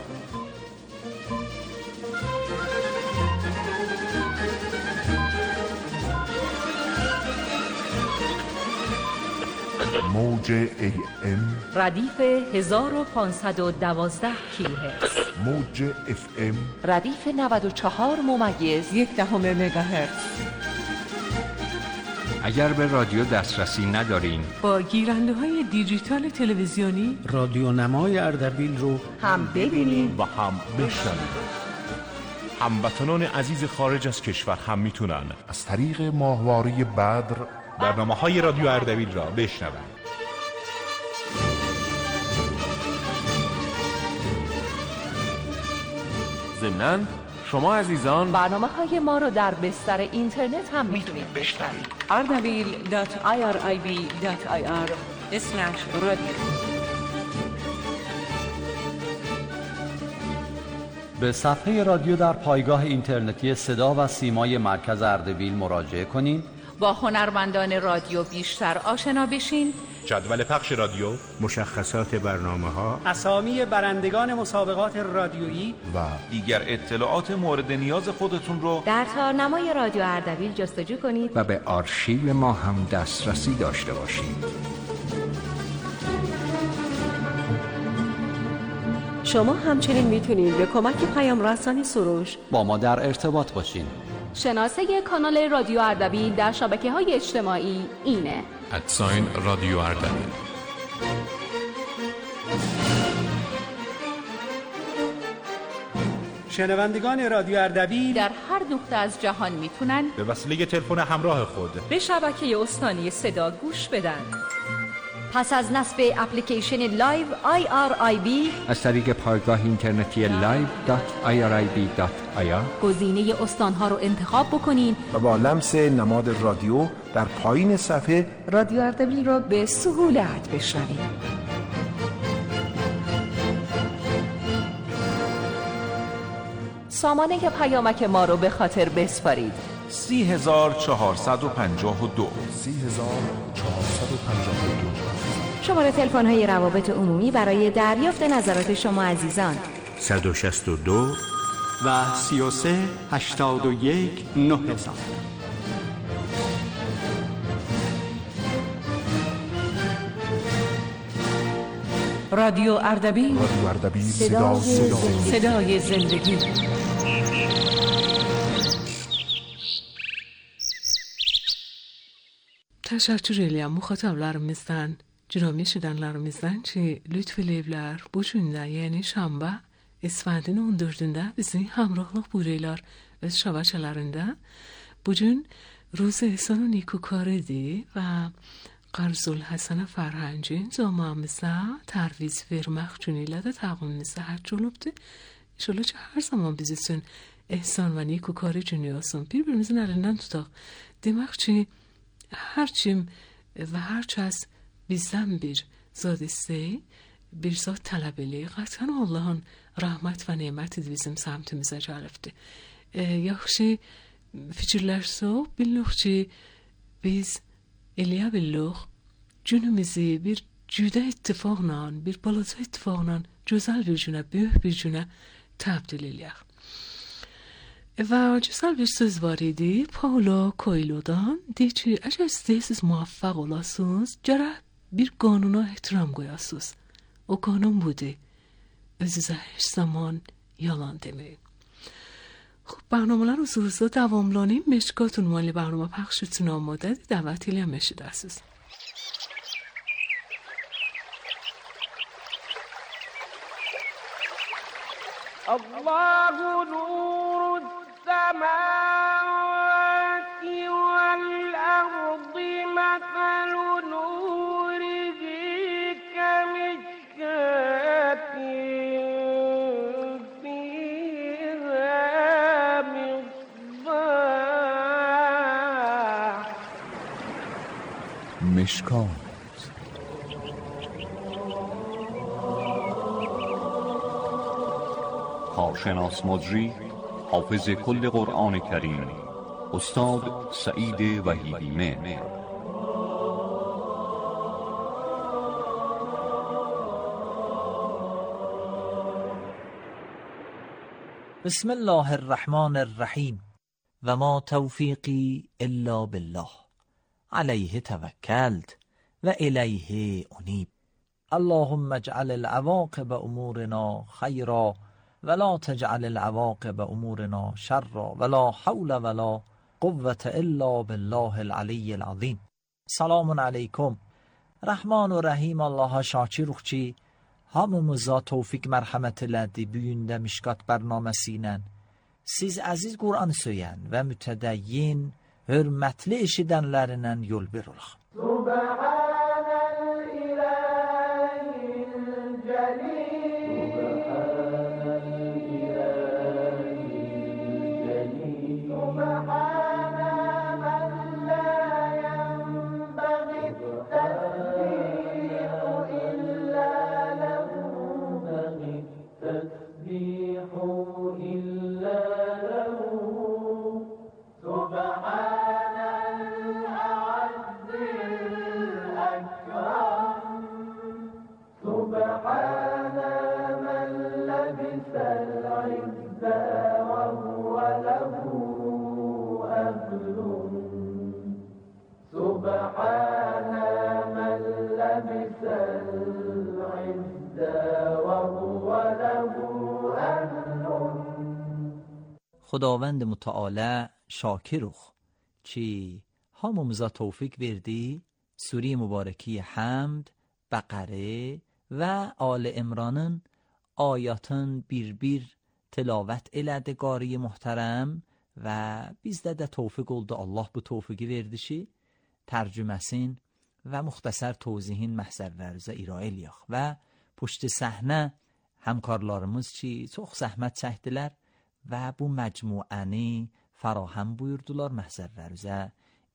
موج ای ام ردیف هزار و پانصد و دوازده کیلوهرتز. موج اف ام ردیف نود و چهار ممیز یک دهم مگاهرتز. اگر به رادیو دسترسی ندارین، با گیرنده های دیجیتال تلویزیونی رادیو نمای اردبیل رو هم ببینید و هم بشنوید. هموطنان عزیز خارج از کشور هم میتونن از طریق ماهواره بدر برنامه های رادیو اردبیل را بشنوند. ضمناً شما عزیزان برنامه های ما رو در بستر اینترنت هم میتونید بشنوید. اردبیل دات آی آر آی بی دات آی آر اسلش رادیو. به صفحه رادیو در پایگاه اینترنتی صدا و سیمای مرکز اردبیل مراجعه کنید. با هنرمندان رادیو بیشتر آشنا بشین. جدول پخش رادیو، مشخصات برنامه‌ها، اسامی برندگان مسابقات رادیویی و دیگر اطلاعات مورد نیاز خودتون رو در تارنمای رادیو اردبیل جستجو کنید و به آرشیو ما هم دسترسی داشته باشید. شما همچنین میتونید به کمک پیام رسانی سروش با ما در ارتباط باشین. شناسه کانال رادیو اردبیل در شبکه‌های اجتماعی اینه: ادساین رادیو اردبیل. شنوندگان رادیو اردبیل در هر نقطه از جهان میتونن به وسیله تلفن همراه خود به شبکه استانی صدا گوش بدن. پس از نصب اپلیکیشن لایو آی آر آی بی از طریق پایگاه اینترنتی لایو دات آی آر آی بی دات آی آر گزینه استانها رو انتخاب بکنین و با لمس نماد رادیو در پایین صفحه رادیو اردبیل رو به سهولت بشنوید. سامانه پیامک ما رو به خاطر بسپارید: سی هزار چهارصد و پنجاه و دو سی هزار چهارصد و پنجاه و دو. شماره تلفن های روابط عمومی برای دریافت نظرات شما عزیزان: صد و شصت و دو و سی و سه هشتاد و یک نه هزار. رادیو اردبیل، رادیو اردبیل، صدا صدای زندگی. Teşekkür muhataplarımızdan, cürüm eşidenlerimizden ki lütfedibler bu günde yani şamba İsfendin on dördünde bizi hamrohluk buyuruylar öz şabaşalarında. Bugün روز احسان و نیکوکاری و قرض الحسن فرهنجی زامامızda terviz vermek cüneylə də təqvimimizdə hərc olubdur. İnşallah ki hər zaman biz üçün ehsan və nikukari cüney olsun. Bir-birimizin əlindən tutaq. Demək ki hər kim və hər kəs bizdən bir zad istəyi, bir zad tələb eləyir. Qətən Allahın rəhmət və neməti bizim səmtimizə gəlibdir. E, yaxşı fikirlərsək, bilirik ki biz eləyə bilirik günümüzü bir cüdə ittifaqla, bir balaca ittifaqla gözəl bir günə, böyük bir günə təbdil eləyək. Və gözəl bir söz var idi Paulo Coelho'dan. Deyir ki, əgər istəyirsiniz muvaffaq olasınız, gərək bir qanuna ehtiram qoyasınız. O qanun budur: özünüzə heç zaman yalan deməyin. خب برنامه رو زورزا دواملانیم مشکاتون مالی برنامه پخشتون آماده دعوتی لی هم مشید اساس الله نور السماوات والأرض مثل نوره كمشكاة مشکات. کارشناس مجری حافظ کل قرآن کریم استاد سعید وحیدی مهر. بسم الله الرحمن الرحیم و ما توفیقی الا بالله علیه توکلت و الیه انیب. اللهم اجعل العواقب امورنا خیرا ولا تجعل العواقب امورنا شرا ولا حول ولا قوة الا بالله العلی العظیم. Selamun aleyküm. Rahman ve Rahim Allah'a şakir ruhçi, hamımıza tevfik merhamet elədi büyündə Mişkat bərnaməsiyle. Siz əziz Qur'an söyən və mütədəyyin, hörmətli eşidənlərindən yol bir olaq. خداوند متعال شاکرخ چی همومزا توفیق وردی سوره مبارکی حمد، بقره و آل عمرانın آیاتın bir bir tilavət elədi qari muhterem və bizdə də tevfik oldu. Allah bu tevfiki verdi ki tərcüməsin və müxtəsər tövzihin məhzərlərinizə irayə eləyək və puşt səhnə həmkarlarımız ki çox zəhmət çəkdilər və bu məcmuəni farahem buyurdular, məhzərlərinizə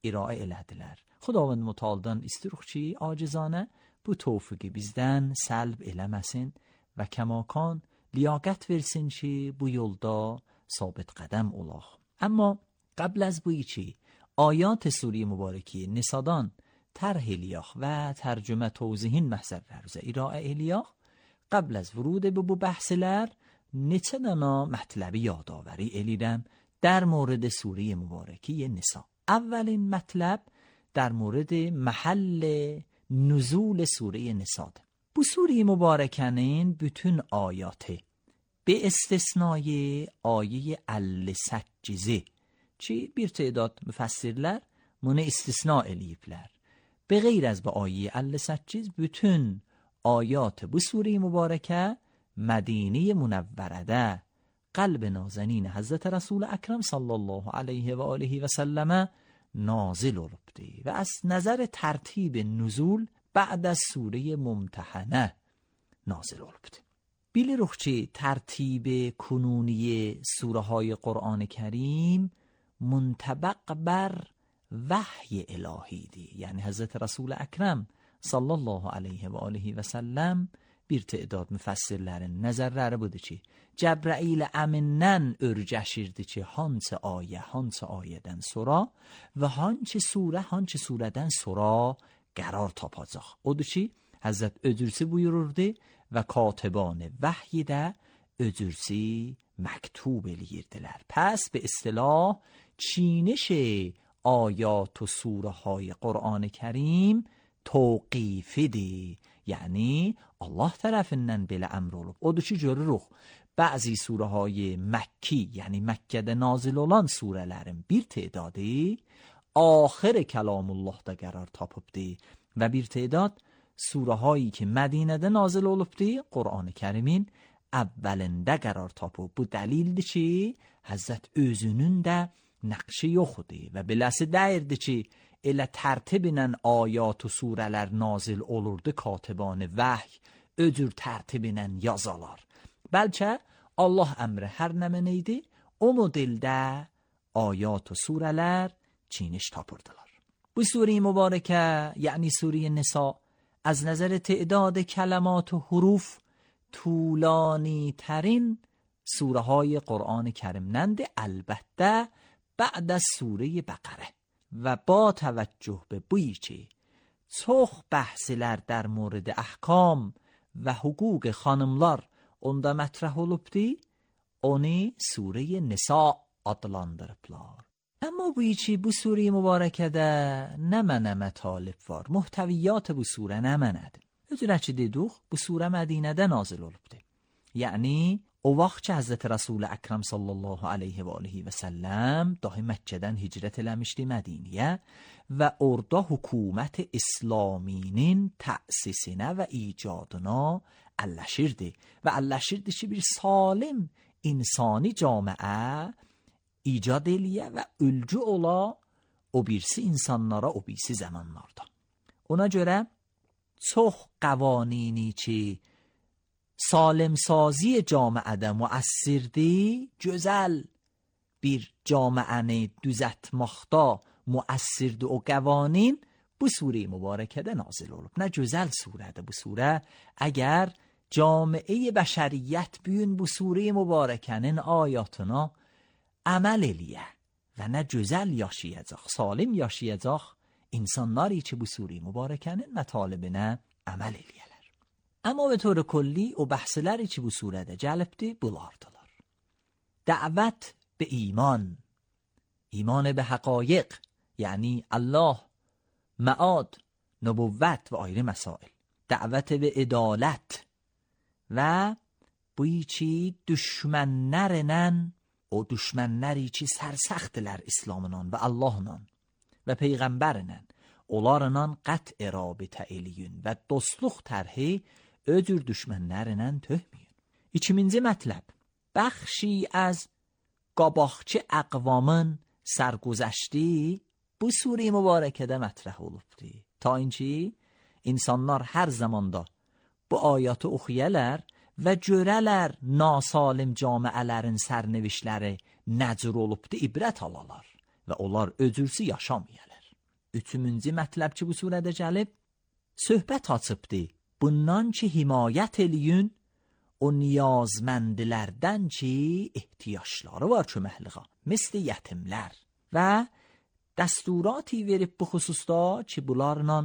irayə elədilər. Xudavənd mütəaldan istiruq ki acizanə bu tevfiki bizdən səlb eləməsin və kəmakan لیاقت versin ki bu yolda sabit qədəm olaq. Amma قبل از bu içi آیات سوره مبارکی نسادان طرح eləyək və tərcümə tövzihin məhzərlərinizə irayə eləyək. قبل از ورود به bu bəhslər neçə dana mətləbi yadavəri eləyirəm در مورد سوره مبارکی نسا. اولین مطلب در مورد محل نزول سوره نسا. Bu سوره مبارکنین bütün ayatı به استثنای آیه ال-Səccizə ki bir تعداد müfəssirlər bunu istisna eləyiblər. به غیر از bu آیه ال-Səcciz bütün ayat bu سوره مبارکه مدینه منورده قلب نازنین حضرت رسول اکرم صلی الله علیه و آله و سلم نازل olubdi و از نظر ترتیب نزول بعد از سوره ممتحنه نازل olubdi. bilirik ki ترتیب کنونی سوره های قرآن کریم منطبق بر وحی الهی دی. یعنی حضرت رسول اکرم صلی الله علیه و آله و سلم bir تعداد müfəssirlərin nəzərləri budur ki, Cəbrəil əmindən örgəşirdi ki, hansı ayə, hansı ayədən sonra və hansı surə, hansı surədən sonra qərar tapacaq. Odur ki, Həzrət özürsi buyururdu və katibان vəhyi də özürsi məktub eləyirdilər. Pəs به اصطلاح چینش آیات و سوره های قرآن کریم توقیفی دی. یعنی Allah tərəfindən belə əmr olub. Odur ki, görürük, bəzi surəهای Məkki, yəni Məkkədə nazil olan surələrin bir tedadı axir kəlamullahda qərar tapıbdı və bir tedad surəهایی ki Mədinədə nazil olubdu, Qur'an-ı Kərimin əvvəlində qərar tapıb. Bu dəlildir ki, Həzrət özünün də nəqşi yoxdur və beləsi dəyirdi ki, elə tərtiblə ayat و surələr nazil olurdu, katibان vəhy öcür tərtiblə yazalar. Bəlkə Allah əmri hər nə mənəydi, o modeldə ayat و surələr çiniş tapırdılar. Bu sure mübarəkə, yəni sure نسا از نظر تعداد کلمات و حروف طولانی ترین سوره های قرآن کریم نند، البته بعد از سوره بقره. و با توجه به بویی که çox bəhslər در مورد احکام و حقوق خانımlar onda mətrəh olubdu, onu sure نسا adlandırıblar. Amma bu içi bu sure mübarəkədə nə mənə mətalib var, muhtəviyyat bu sure nə mənədir. Özürə ki dedik, bu sure Mədinədə nazil olubdu. Yəni o vaxt ki Hazreti Resul Ekrem sallallahu aleyhi və aleyhi və səlləm dahi Məkkədən hicrət eləmişdi Mədiniyə və orada hökumət İslaminin təsisinə və icadına əlləşirdi və əlləşirdi ki bir salim insani camiə icad eləyə və ülgü ola o birisi insanlara o birisi zamanlarda. Ona görə çox قوانینی ki سالم سازی جامعه ده مؤثرdi, gözəl bir camiəni düzəltməkdə müəssirdir o قوانین bu sure mübarəkədə nazil olub. Nə gözəl surədir bu surə. Əgər camiə bəşəriyyət bu gün bu sure mübarəkənin ayatına əməl eləyə və nə gözəl yaşayacaq, salim yaşayacaq insanları ki bu sure mübarəkənin mətalibinə əməl eləyərlər. Amma به طور کلی o bəhsləri ki bu surədə cəlbdir bulardılar. دعوت به ایمان، ایمان به حقایق یعنی الله، معاد، نبوت و آیره مسائل، دعوت به عدالت و بویی چی düşmənlərlə o düşmənləri ki sərsəxdilər İslamla və Allahla və Peyğəmbərlə onlarla qət'i rabitə eləyün və dostluq tərhi öcür düşmənlərlə töhməyin. İkinci mətləb بخشی از قاباقچه اقوامın سرگذشتی bu sure mübarəkədə mətrəh olubdur. Ta inki insanlar hər zamanda bu ayatı oxuyalar və görələr nasalim camiələrin sərnevişləri nəcür olubdur, ibrət alalar və onlar öcürsü yaşamayarlar. Üçüncü mətləb ki bu surədə gəlib, söhbət açıbdır. Bundan ki himayət eləyün o niyazməndilərdən ki ehtiyaçları var köməkliğə, misli yetimlər və dəsturaتی verib bu xüsusda ki bunlarla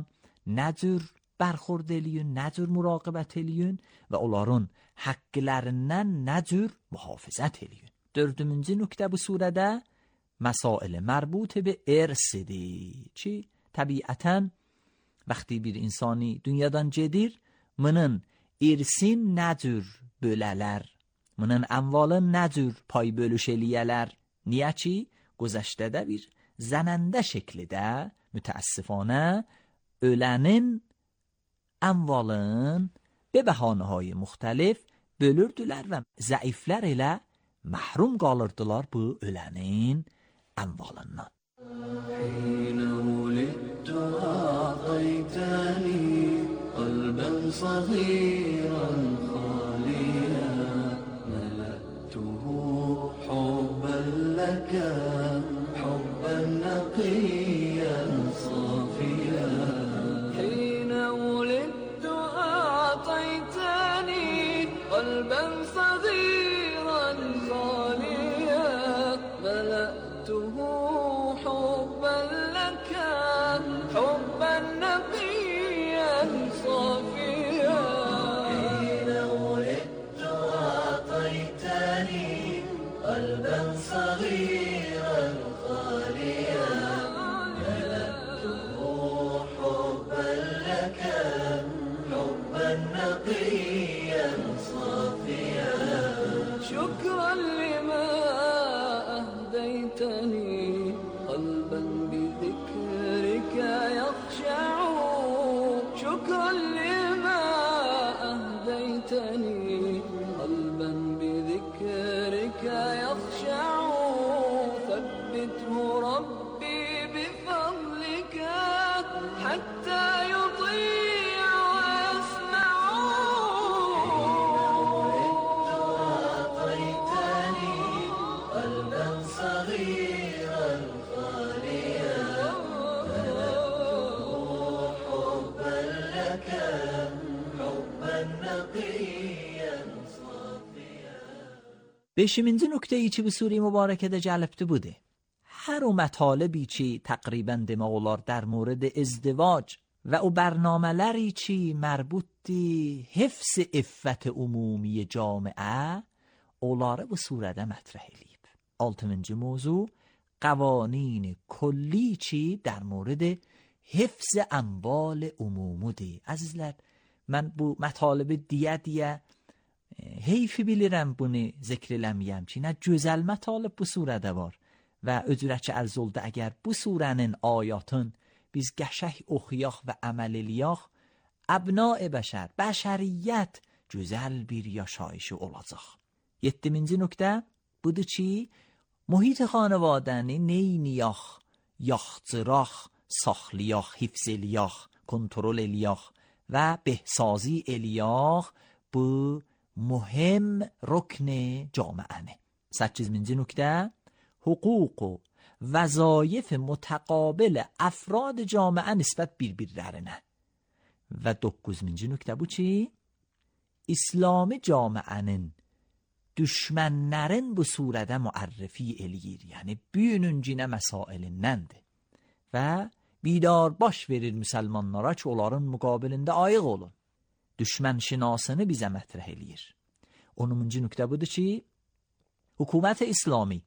nəcür bərxurd eləyün, nəcür muraqibət eləyün və onların haqqlərindən nəcür mühafizət eləyün. Dördüncü nöqtə bu surədə məsail mərbut be irsidir ki təbiətən vəqti bir insani dünyadan gedir, bunun irsin nəcür bölələr, bunun əmvalın nəcür pay bölüş eləyələr. Niyə ki gözəşdədə bir zənəndə şəklidə mütəəssifanə ölənin əmvalın به bəhanəهای müxtəlif bölürdülər və zəiflər ilə məhrum qalırdılar bu ölənin əmvalından. حين ولدت أعطيتني قلبا صغيرا خاليا ملأته حبا لك حبا نقيا صافيا حين ولدت أعطيتني قلبا صغيرا خاليا ملأته حبا لك حبا نقيا صافيا حين ولدت أعطيتني قلبا صغيرا خاليا ملأته حبا لك حبا نقيا صافيا شكرا لما أهديتني قلبا بذكرك يخشع شكرا لما أهديتني قلبا بذكرك يخشع ثبته ربي بفضلك حتى يطيع ويسمع أعطيتني قلبا صغيرا خاليا ملأته حبا لك حبا نقيا صافيا. beşinci nöqteyi ki bu sure mübarəkədə gəlibdi budur. Hər o mətaləbi ki təqribən demək olar در مورد ازدواج و o برنامه‌ləri ki mərbutdir حفظ iffət ümumi camiə onları bu surədə mətrəh eləyib. altıncı موضوع قوانین کلی چی در مورد حفظ اموال عمومودی. عزیزlər, mən bu mətalibə deyə deyə heyfi bilirəm bunu zikr eləməyəm ki, nə gözəl mətalib bu surədə var və öcürətçi ərz oldu əgər bu surənin ayatın biz qəşəng oxuyaq və əməl eləyək, əbna-i bəşər, bəşəriyyət gözəl bir yaşayışı olacaq. Yeddiminci nöqtə budur ki, mühit xanavadəni neyniyək, yaxcıraq, saxlayaq, hifz eləyək, kontrol eləyək və behsazi eləyək bu mühim rükn جامعه. سیزدهمین نکته حقوق و وظایف متقابل افراد جامعه نسبت birbirlerine. Və doqquzuncu nöqtə bu ki, İslami camiənin düşmənlərin bu surədə müərrifi eləyir. Yəni, büyününcinə məsailindəndir. Və bidar baş verir müsəlmanlara ki, onların müqabilində ayıq olun. Düşmən şinasını bizə mətrəh eləyir. onuncu nöqtə budur ki, hükümət İslami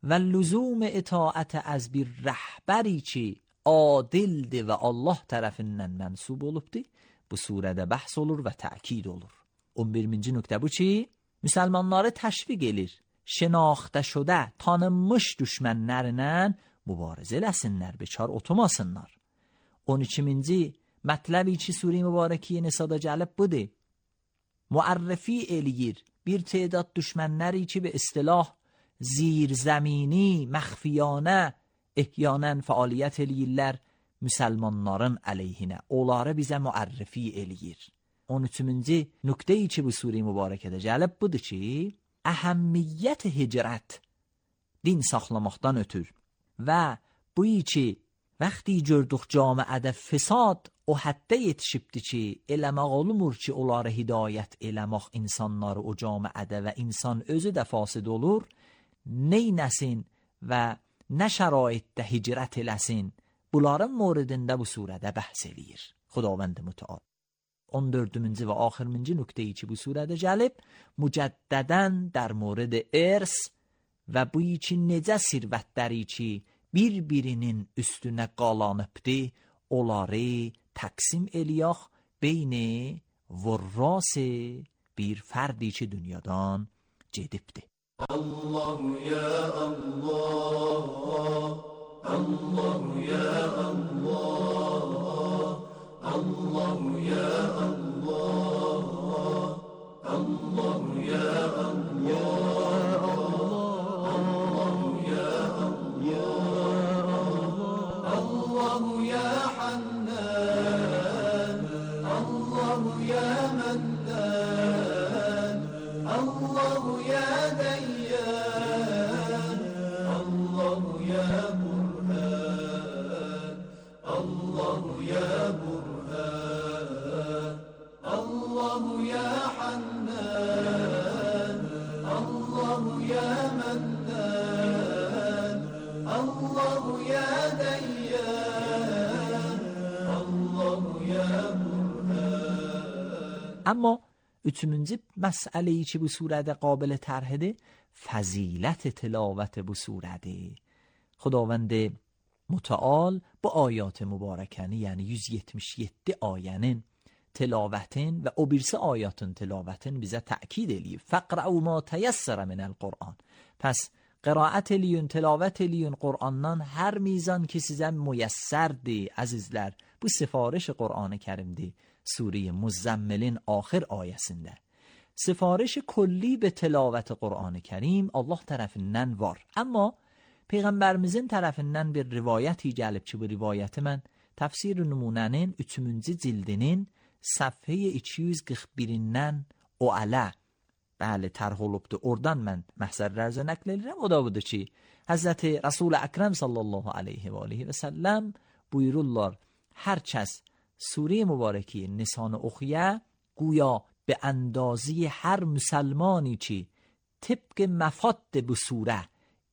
və lüzum itaət az bir rəhbəri ki, adildir və Allah tərəfindən mənsub olubdur, bu surədə bəhs olur və təkid olur. on birinci nöqtə bu ki, müsəlmanları təşviq edir, şinaxtə şudə, tanınmış düşmənlərlə mübarizə eləsinlər, bekar oturmasınlar. on ikinci mətləbi ki, Sure-i Mübarəkiyə Nisada gəlib budur. Müərrifi eləyir bir تعداد düşmənləri ki, به اصطلاح zirzəmini, məxfiyanə, ehyyanən fəaliyyət eləyirlər müsəlmanların əleyhinə. Onları bizə müərrifi eləyir. on üçüncü nöqtəyi ki, bu Sure-i Mübarəkədə gəlib budur ki, əhəmmiyyət hicrət din saxlamaqdan ötür və bu ki, vəxti gördük camiədə fesad o həddə yetişibdir ki, eləmək olmur ki, onları hidayət eləmək insanları o camiədə və insan özü də fasid olur, neynəsin və nə şəraitdə hicrət eləsin, bunların moridində bu surədə bəhs eləyir. Xudavənd mütəal. on dördüncü və axırıncı nöqtəyi ki, bu surədə gəlib, mücəddədən در مورد ارث və bu ki, necə sirvətləri ki, bir-birinin üstünə qalanıbdır, onları təqsim eləyək beyni vurrası bir fərdi ki, dünyadan gedibdir. Allahu ya Allah, Allahu ya Allah, Allahu ya Allah, Allahu ya Allah, Allahu ya Allah, Allahu ya Hannan, Allahu ya Mannan, Allahu ya Dayyan, Allahu ya Burhan, Allahu ya Burhan, Allahu ya Hannan, Allahu ya Mannan, Allahu ya Dayyan, Allahu ya Burhan. اما üçüncü məsələyi ki, bu surədə qabilə tərhidir, fəzilət tilavət bu surədir. Xudavənd mütəal bu ayat mübarəkəni, yəni yüz yetmiş yeddi ayənin tilavətin və o birisi ayatın tilavətin bizə təkid eləyib. Fəqra'u ma təyəssərə minəl Qur'an. Pəs qiraət eləyin, tilavət eləyin Qur'andan hər mizan ki sizə müyəssərdir, əzizlər. Bu sifarış Qur'an-ı Kərimdir. Sure Muzzəmmilin axir ayəsində. Sifarış kulli به tilavət Qur'an-ı Kərim Allah tərəfindən var. Amma Peyğəmbərimizin tərəfindən bir rivayəti gəlib ki, bu rivayəti mən Təfsir Nümunənin üçüncü cildinin səhifə iki yüz qırx birindən o ələ bəli tərh olubdur. Oradan mən məhzərlərcə nəql edirəm. O da budur ki, Həzrəti Rasul-i Əkrəm sallallahu aleyhi və aleyhi və səlləm buyururlar, hər kəs Sure mübarəki Nisanı oxuya, guya به اندازی هر مسلمانی ki طبق مفاد bu surə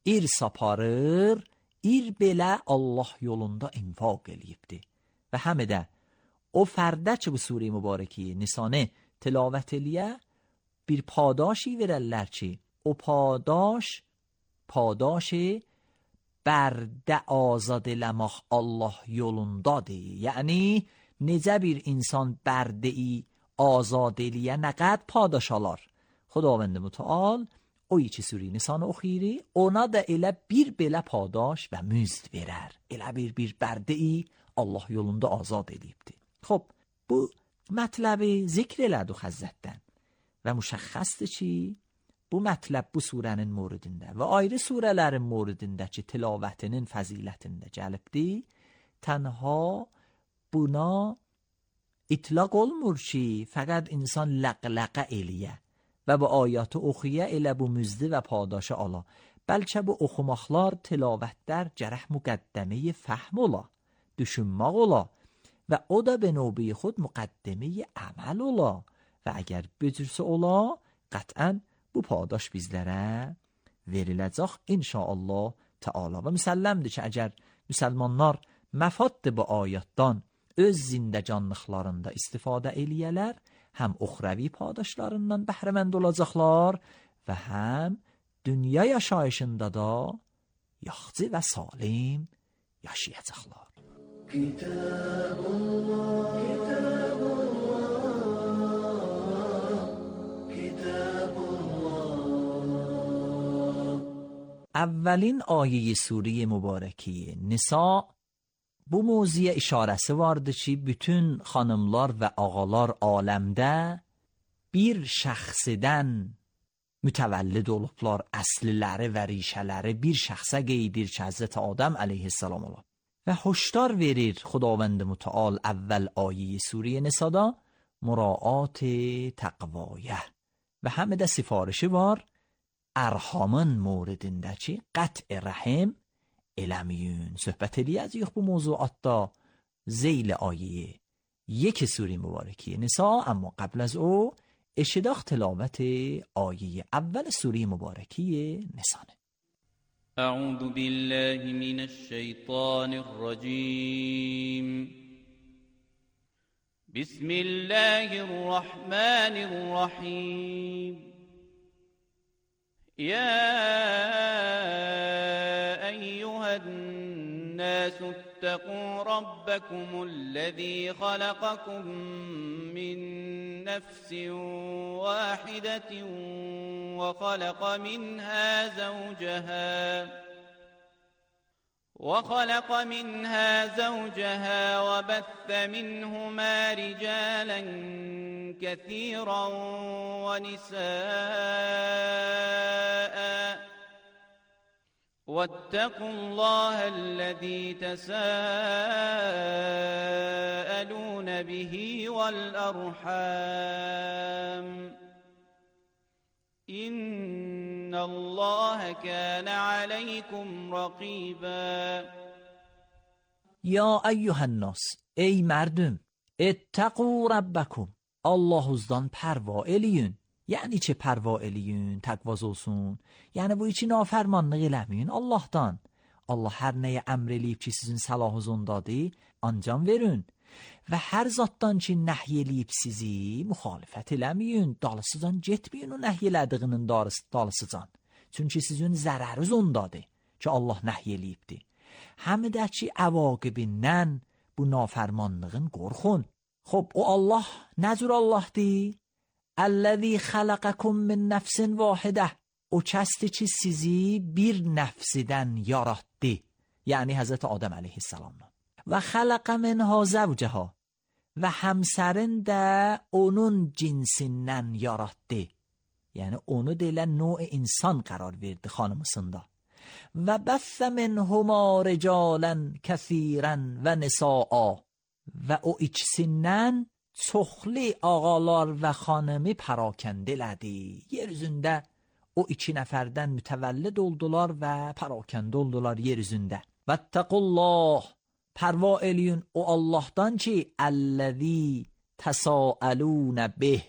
irsa aparır, ir belə Allah yolunda infaq eləyibdir. Və həm də o fərdə ki bu surə mübarəki Nisanı tilavət eləyə, bir padaşi verərlər ki, o padaş padaşi bərdə azad eləmək Allah yolundadır. Yəni necə bir insan bərdəyi azad eləyə nə qədər padaş alar Xudavənd mütəal o iki suri Nisan oxiri ona da elə bir belə padaş və müzd verər. Elə bir bir bərdəyi Allah yolunda azad edibdir. Xub, bu mətləbi zikr elədi Həzrətdən və müşəxxəsdir ki, bu mətləb bu surənin moridində və ayrı surələrin moridindəki tilavətinin fəzilətində gəlibdir. Tənha buna itlaq olmur ki, fəqət insan ləqləqə eləyə və bu ayatı oxuya elə bu müzdi və padaşı ala. Bəlkə bu oxumaqlar, tilavətlər gərək müqəddəməyi fəhm ola, düşünmək ola və o da be növbəyi xud müqəddəməyi əməl ola və əgər bücürsə ola, qətən bu padaş bizlərə veriləcək inşaallah Teala. Və müsəlləmdir ki, əgər müsəlmanlar məfaddır bu ayatdan öz zindəcanlıqlarında istifadə eləyələr, həm uxravi padaşlarından bəhrəmənd olacaqlar və həm dünya yaşayışında da yaxşı və salim yaşayacaqlar. Kitabullah, Kitabullah, Kitabullah. Əvvəlin ayəyi suriye mübarəki Nisa bu mövzuya işarəsi vardı ki, bütün xanımlar və ağalar aləmdə bir şəxsidən mütəvəllid olublar, əsliləri və rişələri bir şəxsə qeydir ki, Həzrət Adəm əleyhissalam olub. Və hoşdar verir Xudavənd mütəal əvvəl ayə suriyə Nisada muraat təqvaya və həm də sifarişi var ərhamın moridində ki, qət'i rəhim eləməyin. Söhbət eləyəcəyik bu mövzuatda zeyl ayə یک سوره مبارکی نساء. اما قبل از او اشتداخ تلاوت آیه اول سوره مبارکی نساء. اعوذ بالله من الشیطان الرجیم. بسم الله الرحمن الرحیم. يا أيها الناس اتقوا ربكم الذي خلقكم من نفس واحدة وخلق منها زوجها وخلق منها زوجها وبث منهما رجالا كثيرا ونساء واتقوا الله الذي تساءلون به والأرحام إن الله كان عليكم رقيبا. یا ایها الناس، ey مردم، اتقوا ربکم، Allah'uzdan perva eləyin. Yəni ki, perva eləyin, təqvaz olsun. Yəni bu içi nafermanlıq eləməyin Allah'dan. Allah hər nəyə əmr eləyib ki, sizin səlahınızdadır, ancam verin. Və hər zatdan ki, nəhy eləyib sizi, müxalifət eləməyin, dalısıcan getməyin o nəhy elədiyinin dalısıcan. Çünki sizin zərəriz ondadır ki, Allah nəhy eləyibdir. Həm də ki, əvaqibindən bu nafermanlığın qorxun. خب او الله نجور الله دی الذي خلقكم من نفس واحده او کسی که sizi bir nefsiden yarattı yani Hazreti Adem aleyhisselam ve خلق منها زوجها ve همسرین de onun cinsinden yarattı yani onu deyilən نوع insan قرار verdi xanımısında ve بث منهما رجالا كثيرا و نساء və o ikisindən çoxlu ağalar və xanımı parakəndə elədi. Yer üzündə o iki nəfərdən mütəvəllid oldular və parakəndə oldular yer üzündə. Vəttəqullah, pərva eləyin o Allahdan ki, əlləzi təsəəlunə bih,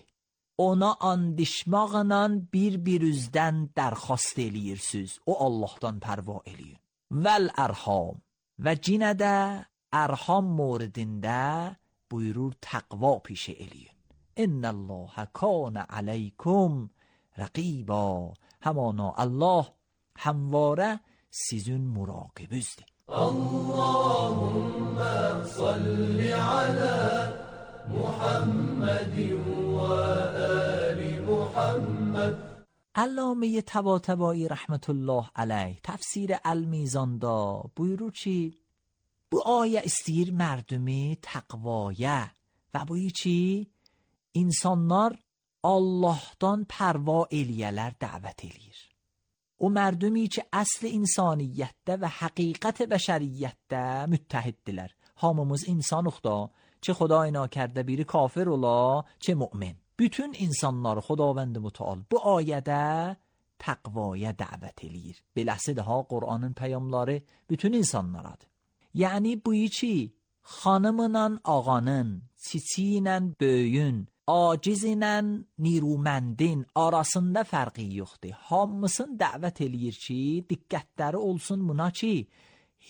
ona andişmaqla bir-birinizdən dərxast eləyirsiniz. O Allahdan pərva eləyin. Vəl ərham və cinə də ارحام موردنده بuyurur تقوا پیشه الیون. ان الله کان علیکم رقیبا. همانا الله همواره سیزون مراقبوزده. اللهم صل على محمد و آل محمد محمد. علامه طباطبایی رحمت الله علیه tafsir el-Mizanda buyurur ki bu ayə istəyir mərdumi təqvaya və bu ki insanlar Allahdan pərva eləyələr, dəvət eləyir. O mərdumi ki əsl insaniyyətdə və həqiqət bəşəriyyətdə müttəhiddirlər. Hamımız insanıq da, çه خدای ناکرده biri kafir ola, çه mümin. Bütün insanları Xudavənd Mütəal bu ayədə təqvaya dəvət eləyir. Beləsi daha Qur'anın peyamları bütün insanlaradır. Yəni bu ki xanımla ağanın, çiçiylə böyüyün, acizlə niruməndin arasında fərqi yoxdur. Hamısını dəvət eləyir ki, diqqətləri olsun buna ki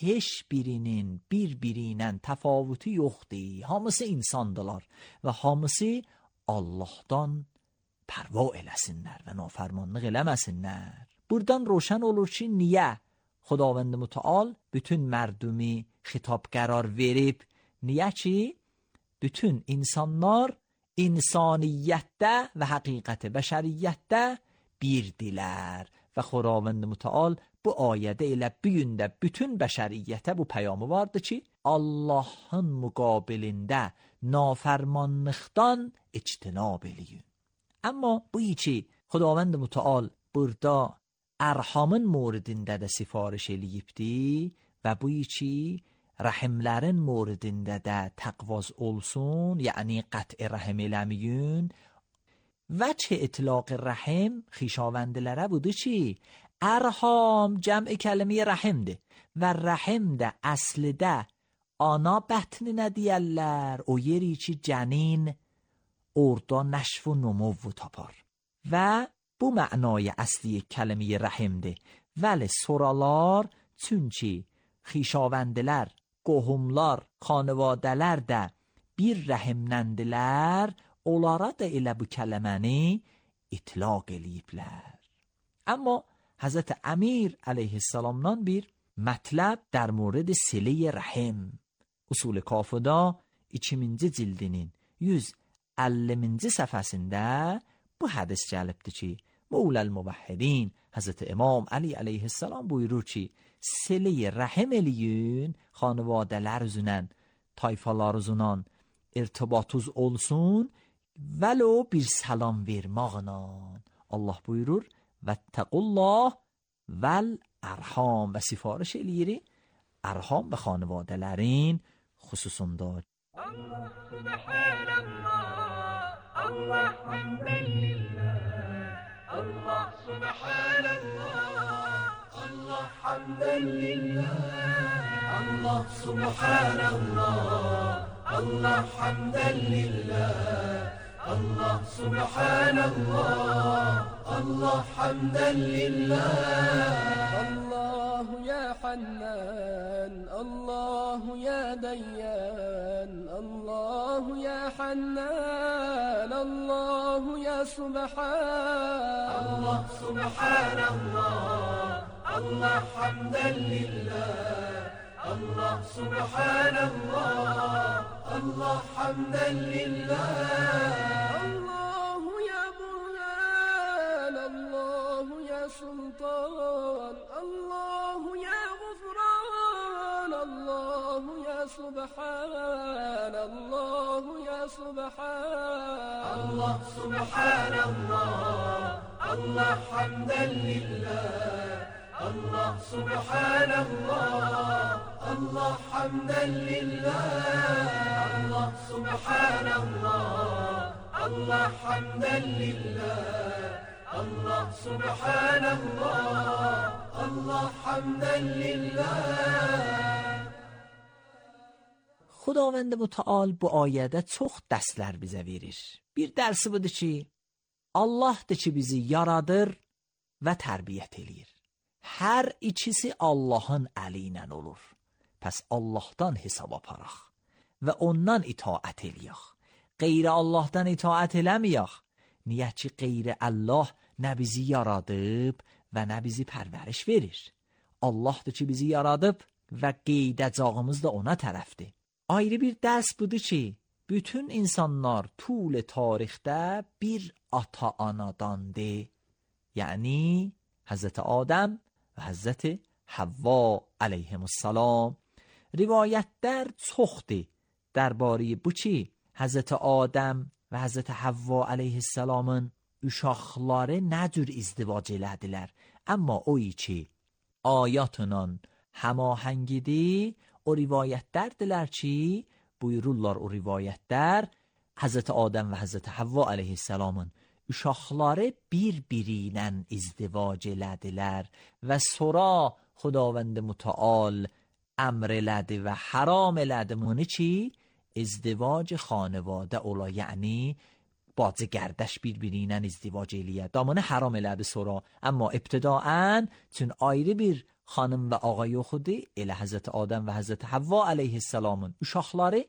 heç birinin bir-biri ilə təfavütü yoxdur. Hamısı insandılar və hamısı Allahdan pərva eləsinlər və nafərmanlıq eləməsinlər. Buradan roşan olur ki niyə Xudavənd Mütəal bütün mərdumi xitab qərar verib? Niyə ki bütün insanlar insaniyyətdə və həqiqət bəşəriyyətdə birdilər və Xudavənd Mütəal bu ayədə elə bu gündə bütün bəşəriyyətə bu peyamı vardı ki Allahın müqabilində nafərmanlıqdan ictinab eləyin. Amma bu ki Xudavənd Mütəal burada ərhamın moridində də sifariş eləyibdi və bu ki rəhimlərin moridində də təqvaz olsun, yəni qət'i rəhim eləməyin. وجه اطلاق رحم خیشاوندلره بوده چی؟ ارحام جمع کلمه رحم ده و رحم ده اصل ده آنا بطن ندیالر o yeri ki جنین orada نشف و نمو و tapar و bu معنای اصلی کلمه رحمده ولی soralar çünki xişavəndilər, qohumlar, xanvadələr də bir rəhimləndilər, onlara da elə bu kələməni itlaq eləyiblər. Amma Hazreti Əmir əleyhissalamdan bir mətləb در مورد silə rəhim usul kafıda ikinci cildinin yüz əlliminci səhifəsində bu hədis gəlibdir ki, Mevləl Muvahhidin Hazreti İmam Ali əleyhissalam buyurur ki, silə rəhim eləyin, xanvadələr üzünən, tayfalar üzünən irtibatuz olsun, vəlo bir salam vermaqla. Allah buyurur, vəttəqullah vəl ərham və sifariş eləyir ərham və xanvadələrin xüsusunda. Allah subhanallah, Allah hamdən lillah, Allah subhanallah, Allah hamdən lillah, Allah subhanallah, Allah hamdən lillah, Allah subhanallah, Allah hamdən lillah. Allah ya Hannan, Allah ya Dayyan, Allah ya Hannan, Allah ya Subhan. Allah subhanallah, Allah hamdən lillah, Allah subhanallah, Allah hamdən lillah. Allah ya Burhan, Allah ya Sultan, Allah ya Gufran, Allah ya Subhan, Allah ya Subhan. Allah subhanallah, Allah hamdən lillah, Allah subhanallah, Allah hamdən lillah. Allah subhanallah, Allah hamdən lillah, Allah subhanallah, Allah hamdən lillah. Xudavənd Mütəal bu ayədə çox dərslər bizə verir. Bir dərsi budur ki, Allahdır ki bizi yaradır və tərbiyyət eləyir. Hər ikisi Allahın əli ilə olur. Pəs Allahdan hesab aparaq və ondan itaət eləyək. Qeyri Allahdan itaət eləməyək. Niyə ki qeyri Allah nə bizi yaradıb və nə bizi pərvəriş verir. Allahdır ki bizi yaradıb və qeydəcağımız da ona tərəfdir. Ayrı bir dərs budur ki, bütün insanlar طول tarixdə bir ata-anadandır. Yəni Həzrət Adəm və Həzrət Havva əleyhimussalam. Rivayətlər çoxdur dərbari bu ki, Həzrət Adəm və Həzrət Havva əleyhissalamın uşaqları nə cür izdivac elədilər. Amma o ki ayatla həmahəngidir, o rivayətlərdilər ki, buyururlar o rivayətlər Həzrət Adəm və Həzrət Havva əleyhissalamın uşaqları bir-biri ilə izdivac elədilər və sonra Xudavənd mütəal əmr elədi və haram elədi bunu ki, ازدواج خانواده ola, yəni bacı qardaş bir-biri ilə izdivac eləyə. Damını haram elədi sonra, amma ibtidaən çün ayrı bir xanım və ağa yox idi, elə Həzrət Adəm və Həzrət Havva əleyhissalamın uşaqları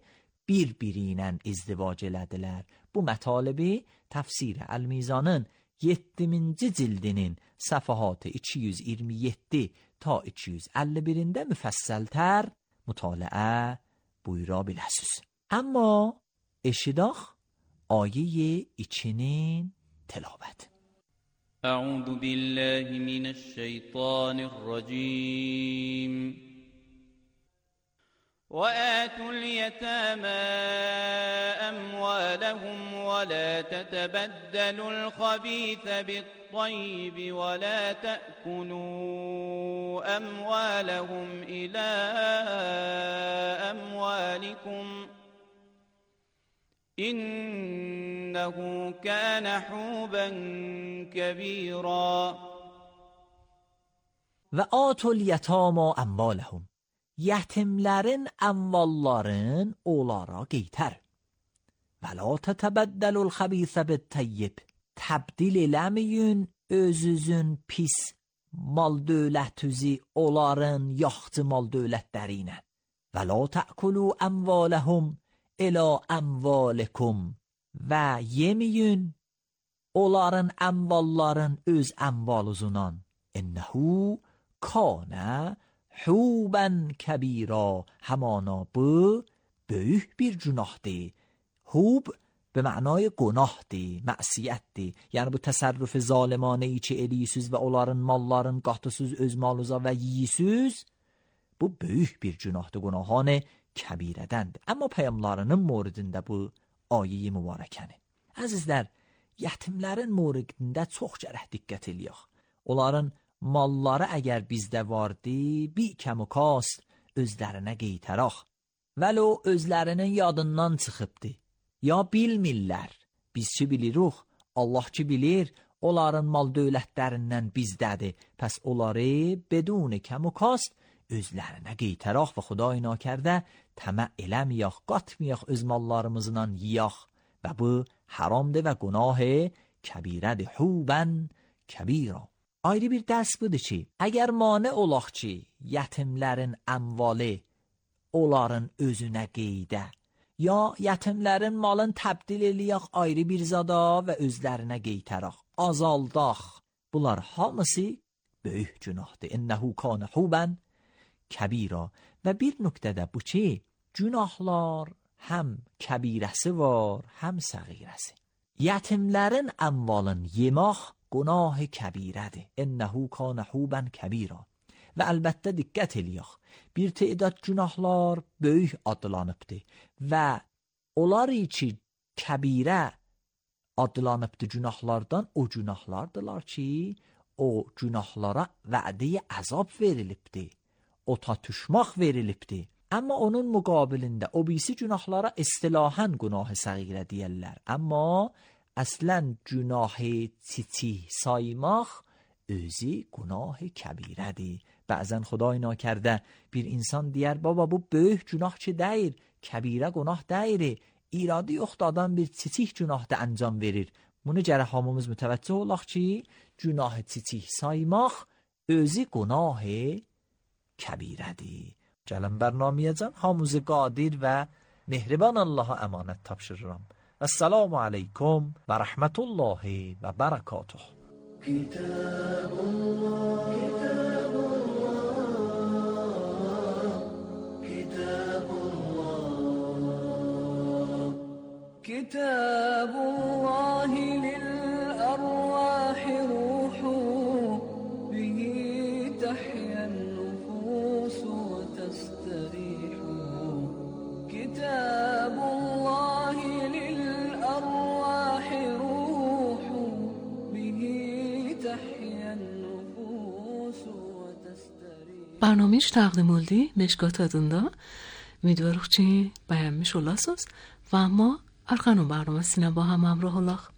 bir-biri ilə izdivac elədilər. Bu mətalibi təfsir Əl-Mizanın yeddiminci cildinin səfahatı iki yüz iyirmi yeddi ta iki yüz əlli birində müfəssəltər mütaliə buyura biləsiz. Amma eşidaq آیه içinin تلاوت. أعوذ بالله من الشيطان الرجيم. وآتوا اليتامى أموالهم ولا تتبدلوا الخبيث بالطيب ولا تأكلوا أموالهم إلى أموالكم إنه كان حوبا كبيرا. و آتوا اليتامى أموالهم yetimlerin amvalların onlara geyter. Və la tətəbəddəlul xəbisə bit-təyyib. Təbdil eləməyin özünüzün pis mal dövlətüzü onların yaxçı mal dövlətləri ilə. Və la tə'kulu əmvaləhum ilə əmvalikum. Və yeməyin onların əmvalların öz əmvaluzundan. İnnəhu kana حوبا کبیرا. همانا bu büyük bir günahdır. حوب به معنای günahdır, məsiyyətdir. Yəni bu təsərrüf zalimane ای ki eləyisiz və onların malların qatısız öz maluza və yiyisiz, bu büyük bir günahdır, günahane kəbirədəndir. Amma peyğəmbərlərinin moridində bu ayə-i mübarəkəni. Əzizlər, yetimlərin moridində çox gərək diqqət eləyək. Onların malları əgər bizdə vardı, bir kəmu kast özlərinə qeytəraq. Vəlo özlərinin yadından çıxıbdı. Ya bilmirlər, biz ki bilirik, Allah ki bilir, onların mal dövlətlərindən bizdədir. Pəs onları bedun kəmu kast özlərinə qeytəraq və Xuday nakərdə təmə eləməyək, qatmayaq öz mallarımızdan yiyək. Və bu haramdır və günah kəbirədir. Hubən kəbira. Ayrı bir dərs budur ki, əgər mane olaq ki, yetimlərin əmvali onların özünə qeydə, ya yetimlərin malın təbdil eləyək ayrı bir zada və özlərinə qeytərək, azaldaq. Bunlar hamısı böyük günahdır. İnnəhu kana hubən kəbira. Və bir nöqtədə bu ki, günahlar həm kəbirəsi var, həm səğirəsi. Yetimlərin əmvalın yemək günah kəbirədir. İnnəhu kana huban kəbira. Və əlbəttə diqqət eləyək. Bir təidad günahlar böyük adlanıbdır və onlar ki kəbirə adlanıbdır günahlardan o günahlardılar ki o günahlara vədə əzab verilibdir. O tatuşmaq verilibdir. Amma onun müqabilində o birisi günahlara istilahən günah-ı səğirə deyirlər. Amma əslən günah-ı çiçik saymaq özü günah-ı kəbirədir. Bəzən Xuday nakərdə bir insan deyər, baba bu böyük günah ki deyir, kəbirə günah deyir, iradı yoxdur adam bir çiçik günahda əncam verir. Bunu gərək hamımız mütəvəccüh olaq ki, günah-ı çiçik saymaq özü günah-ı kəbirədir. Gəlin bərnamiyəcən hamımızı qadir və mehriban Allaha əmanət tapşırıram. Esselamu aleykum və rəhmətullahi və bərəkatuh. Kitabullah, Kitabullah, Kitabullah. كتاب الله للأرواح روح به تحيا النفوس وتستريح كتاب الله للأرواح روح به تحيا النفوس وتستريح. برنامهش تقدیم oldu Meşkat adında. Ümidvarıq ki, bəyənmiş olasınız və amma arxanın barnamasına با هم همراه olaq.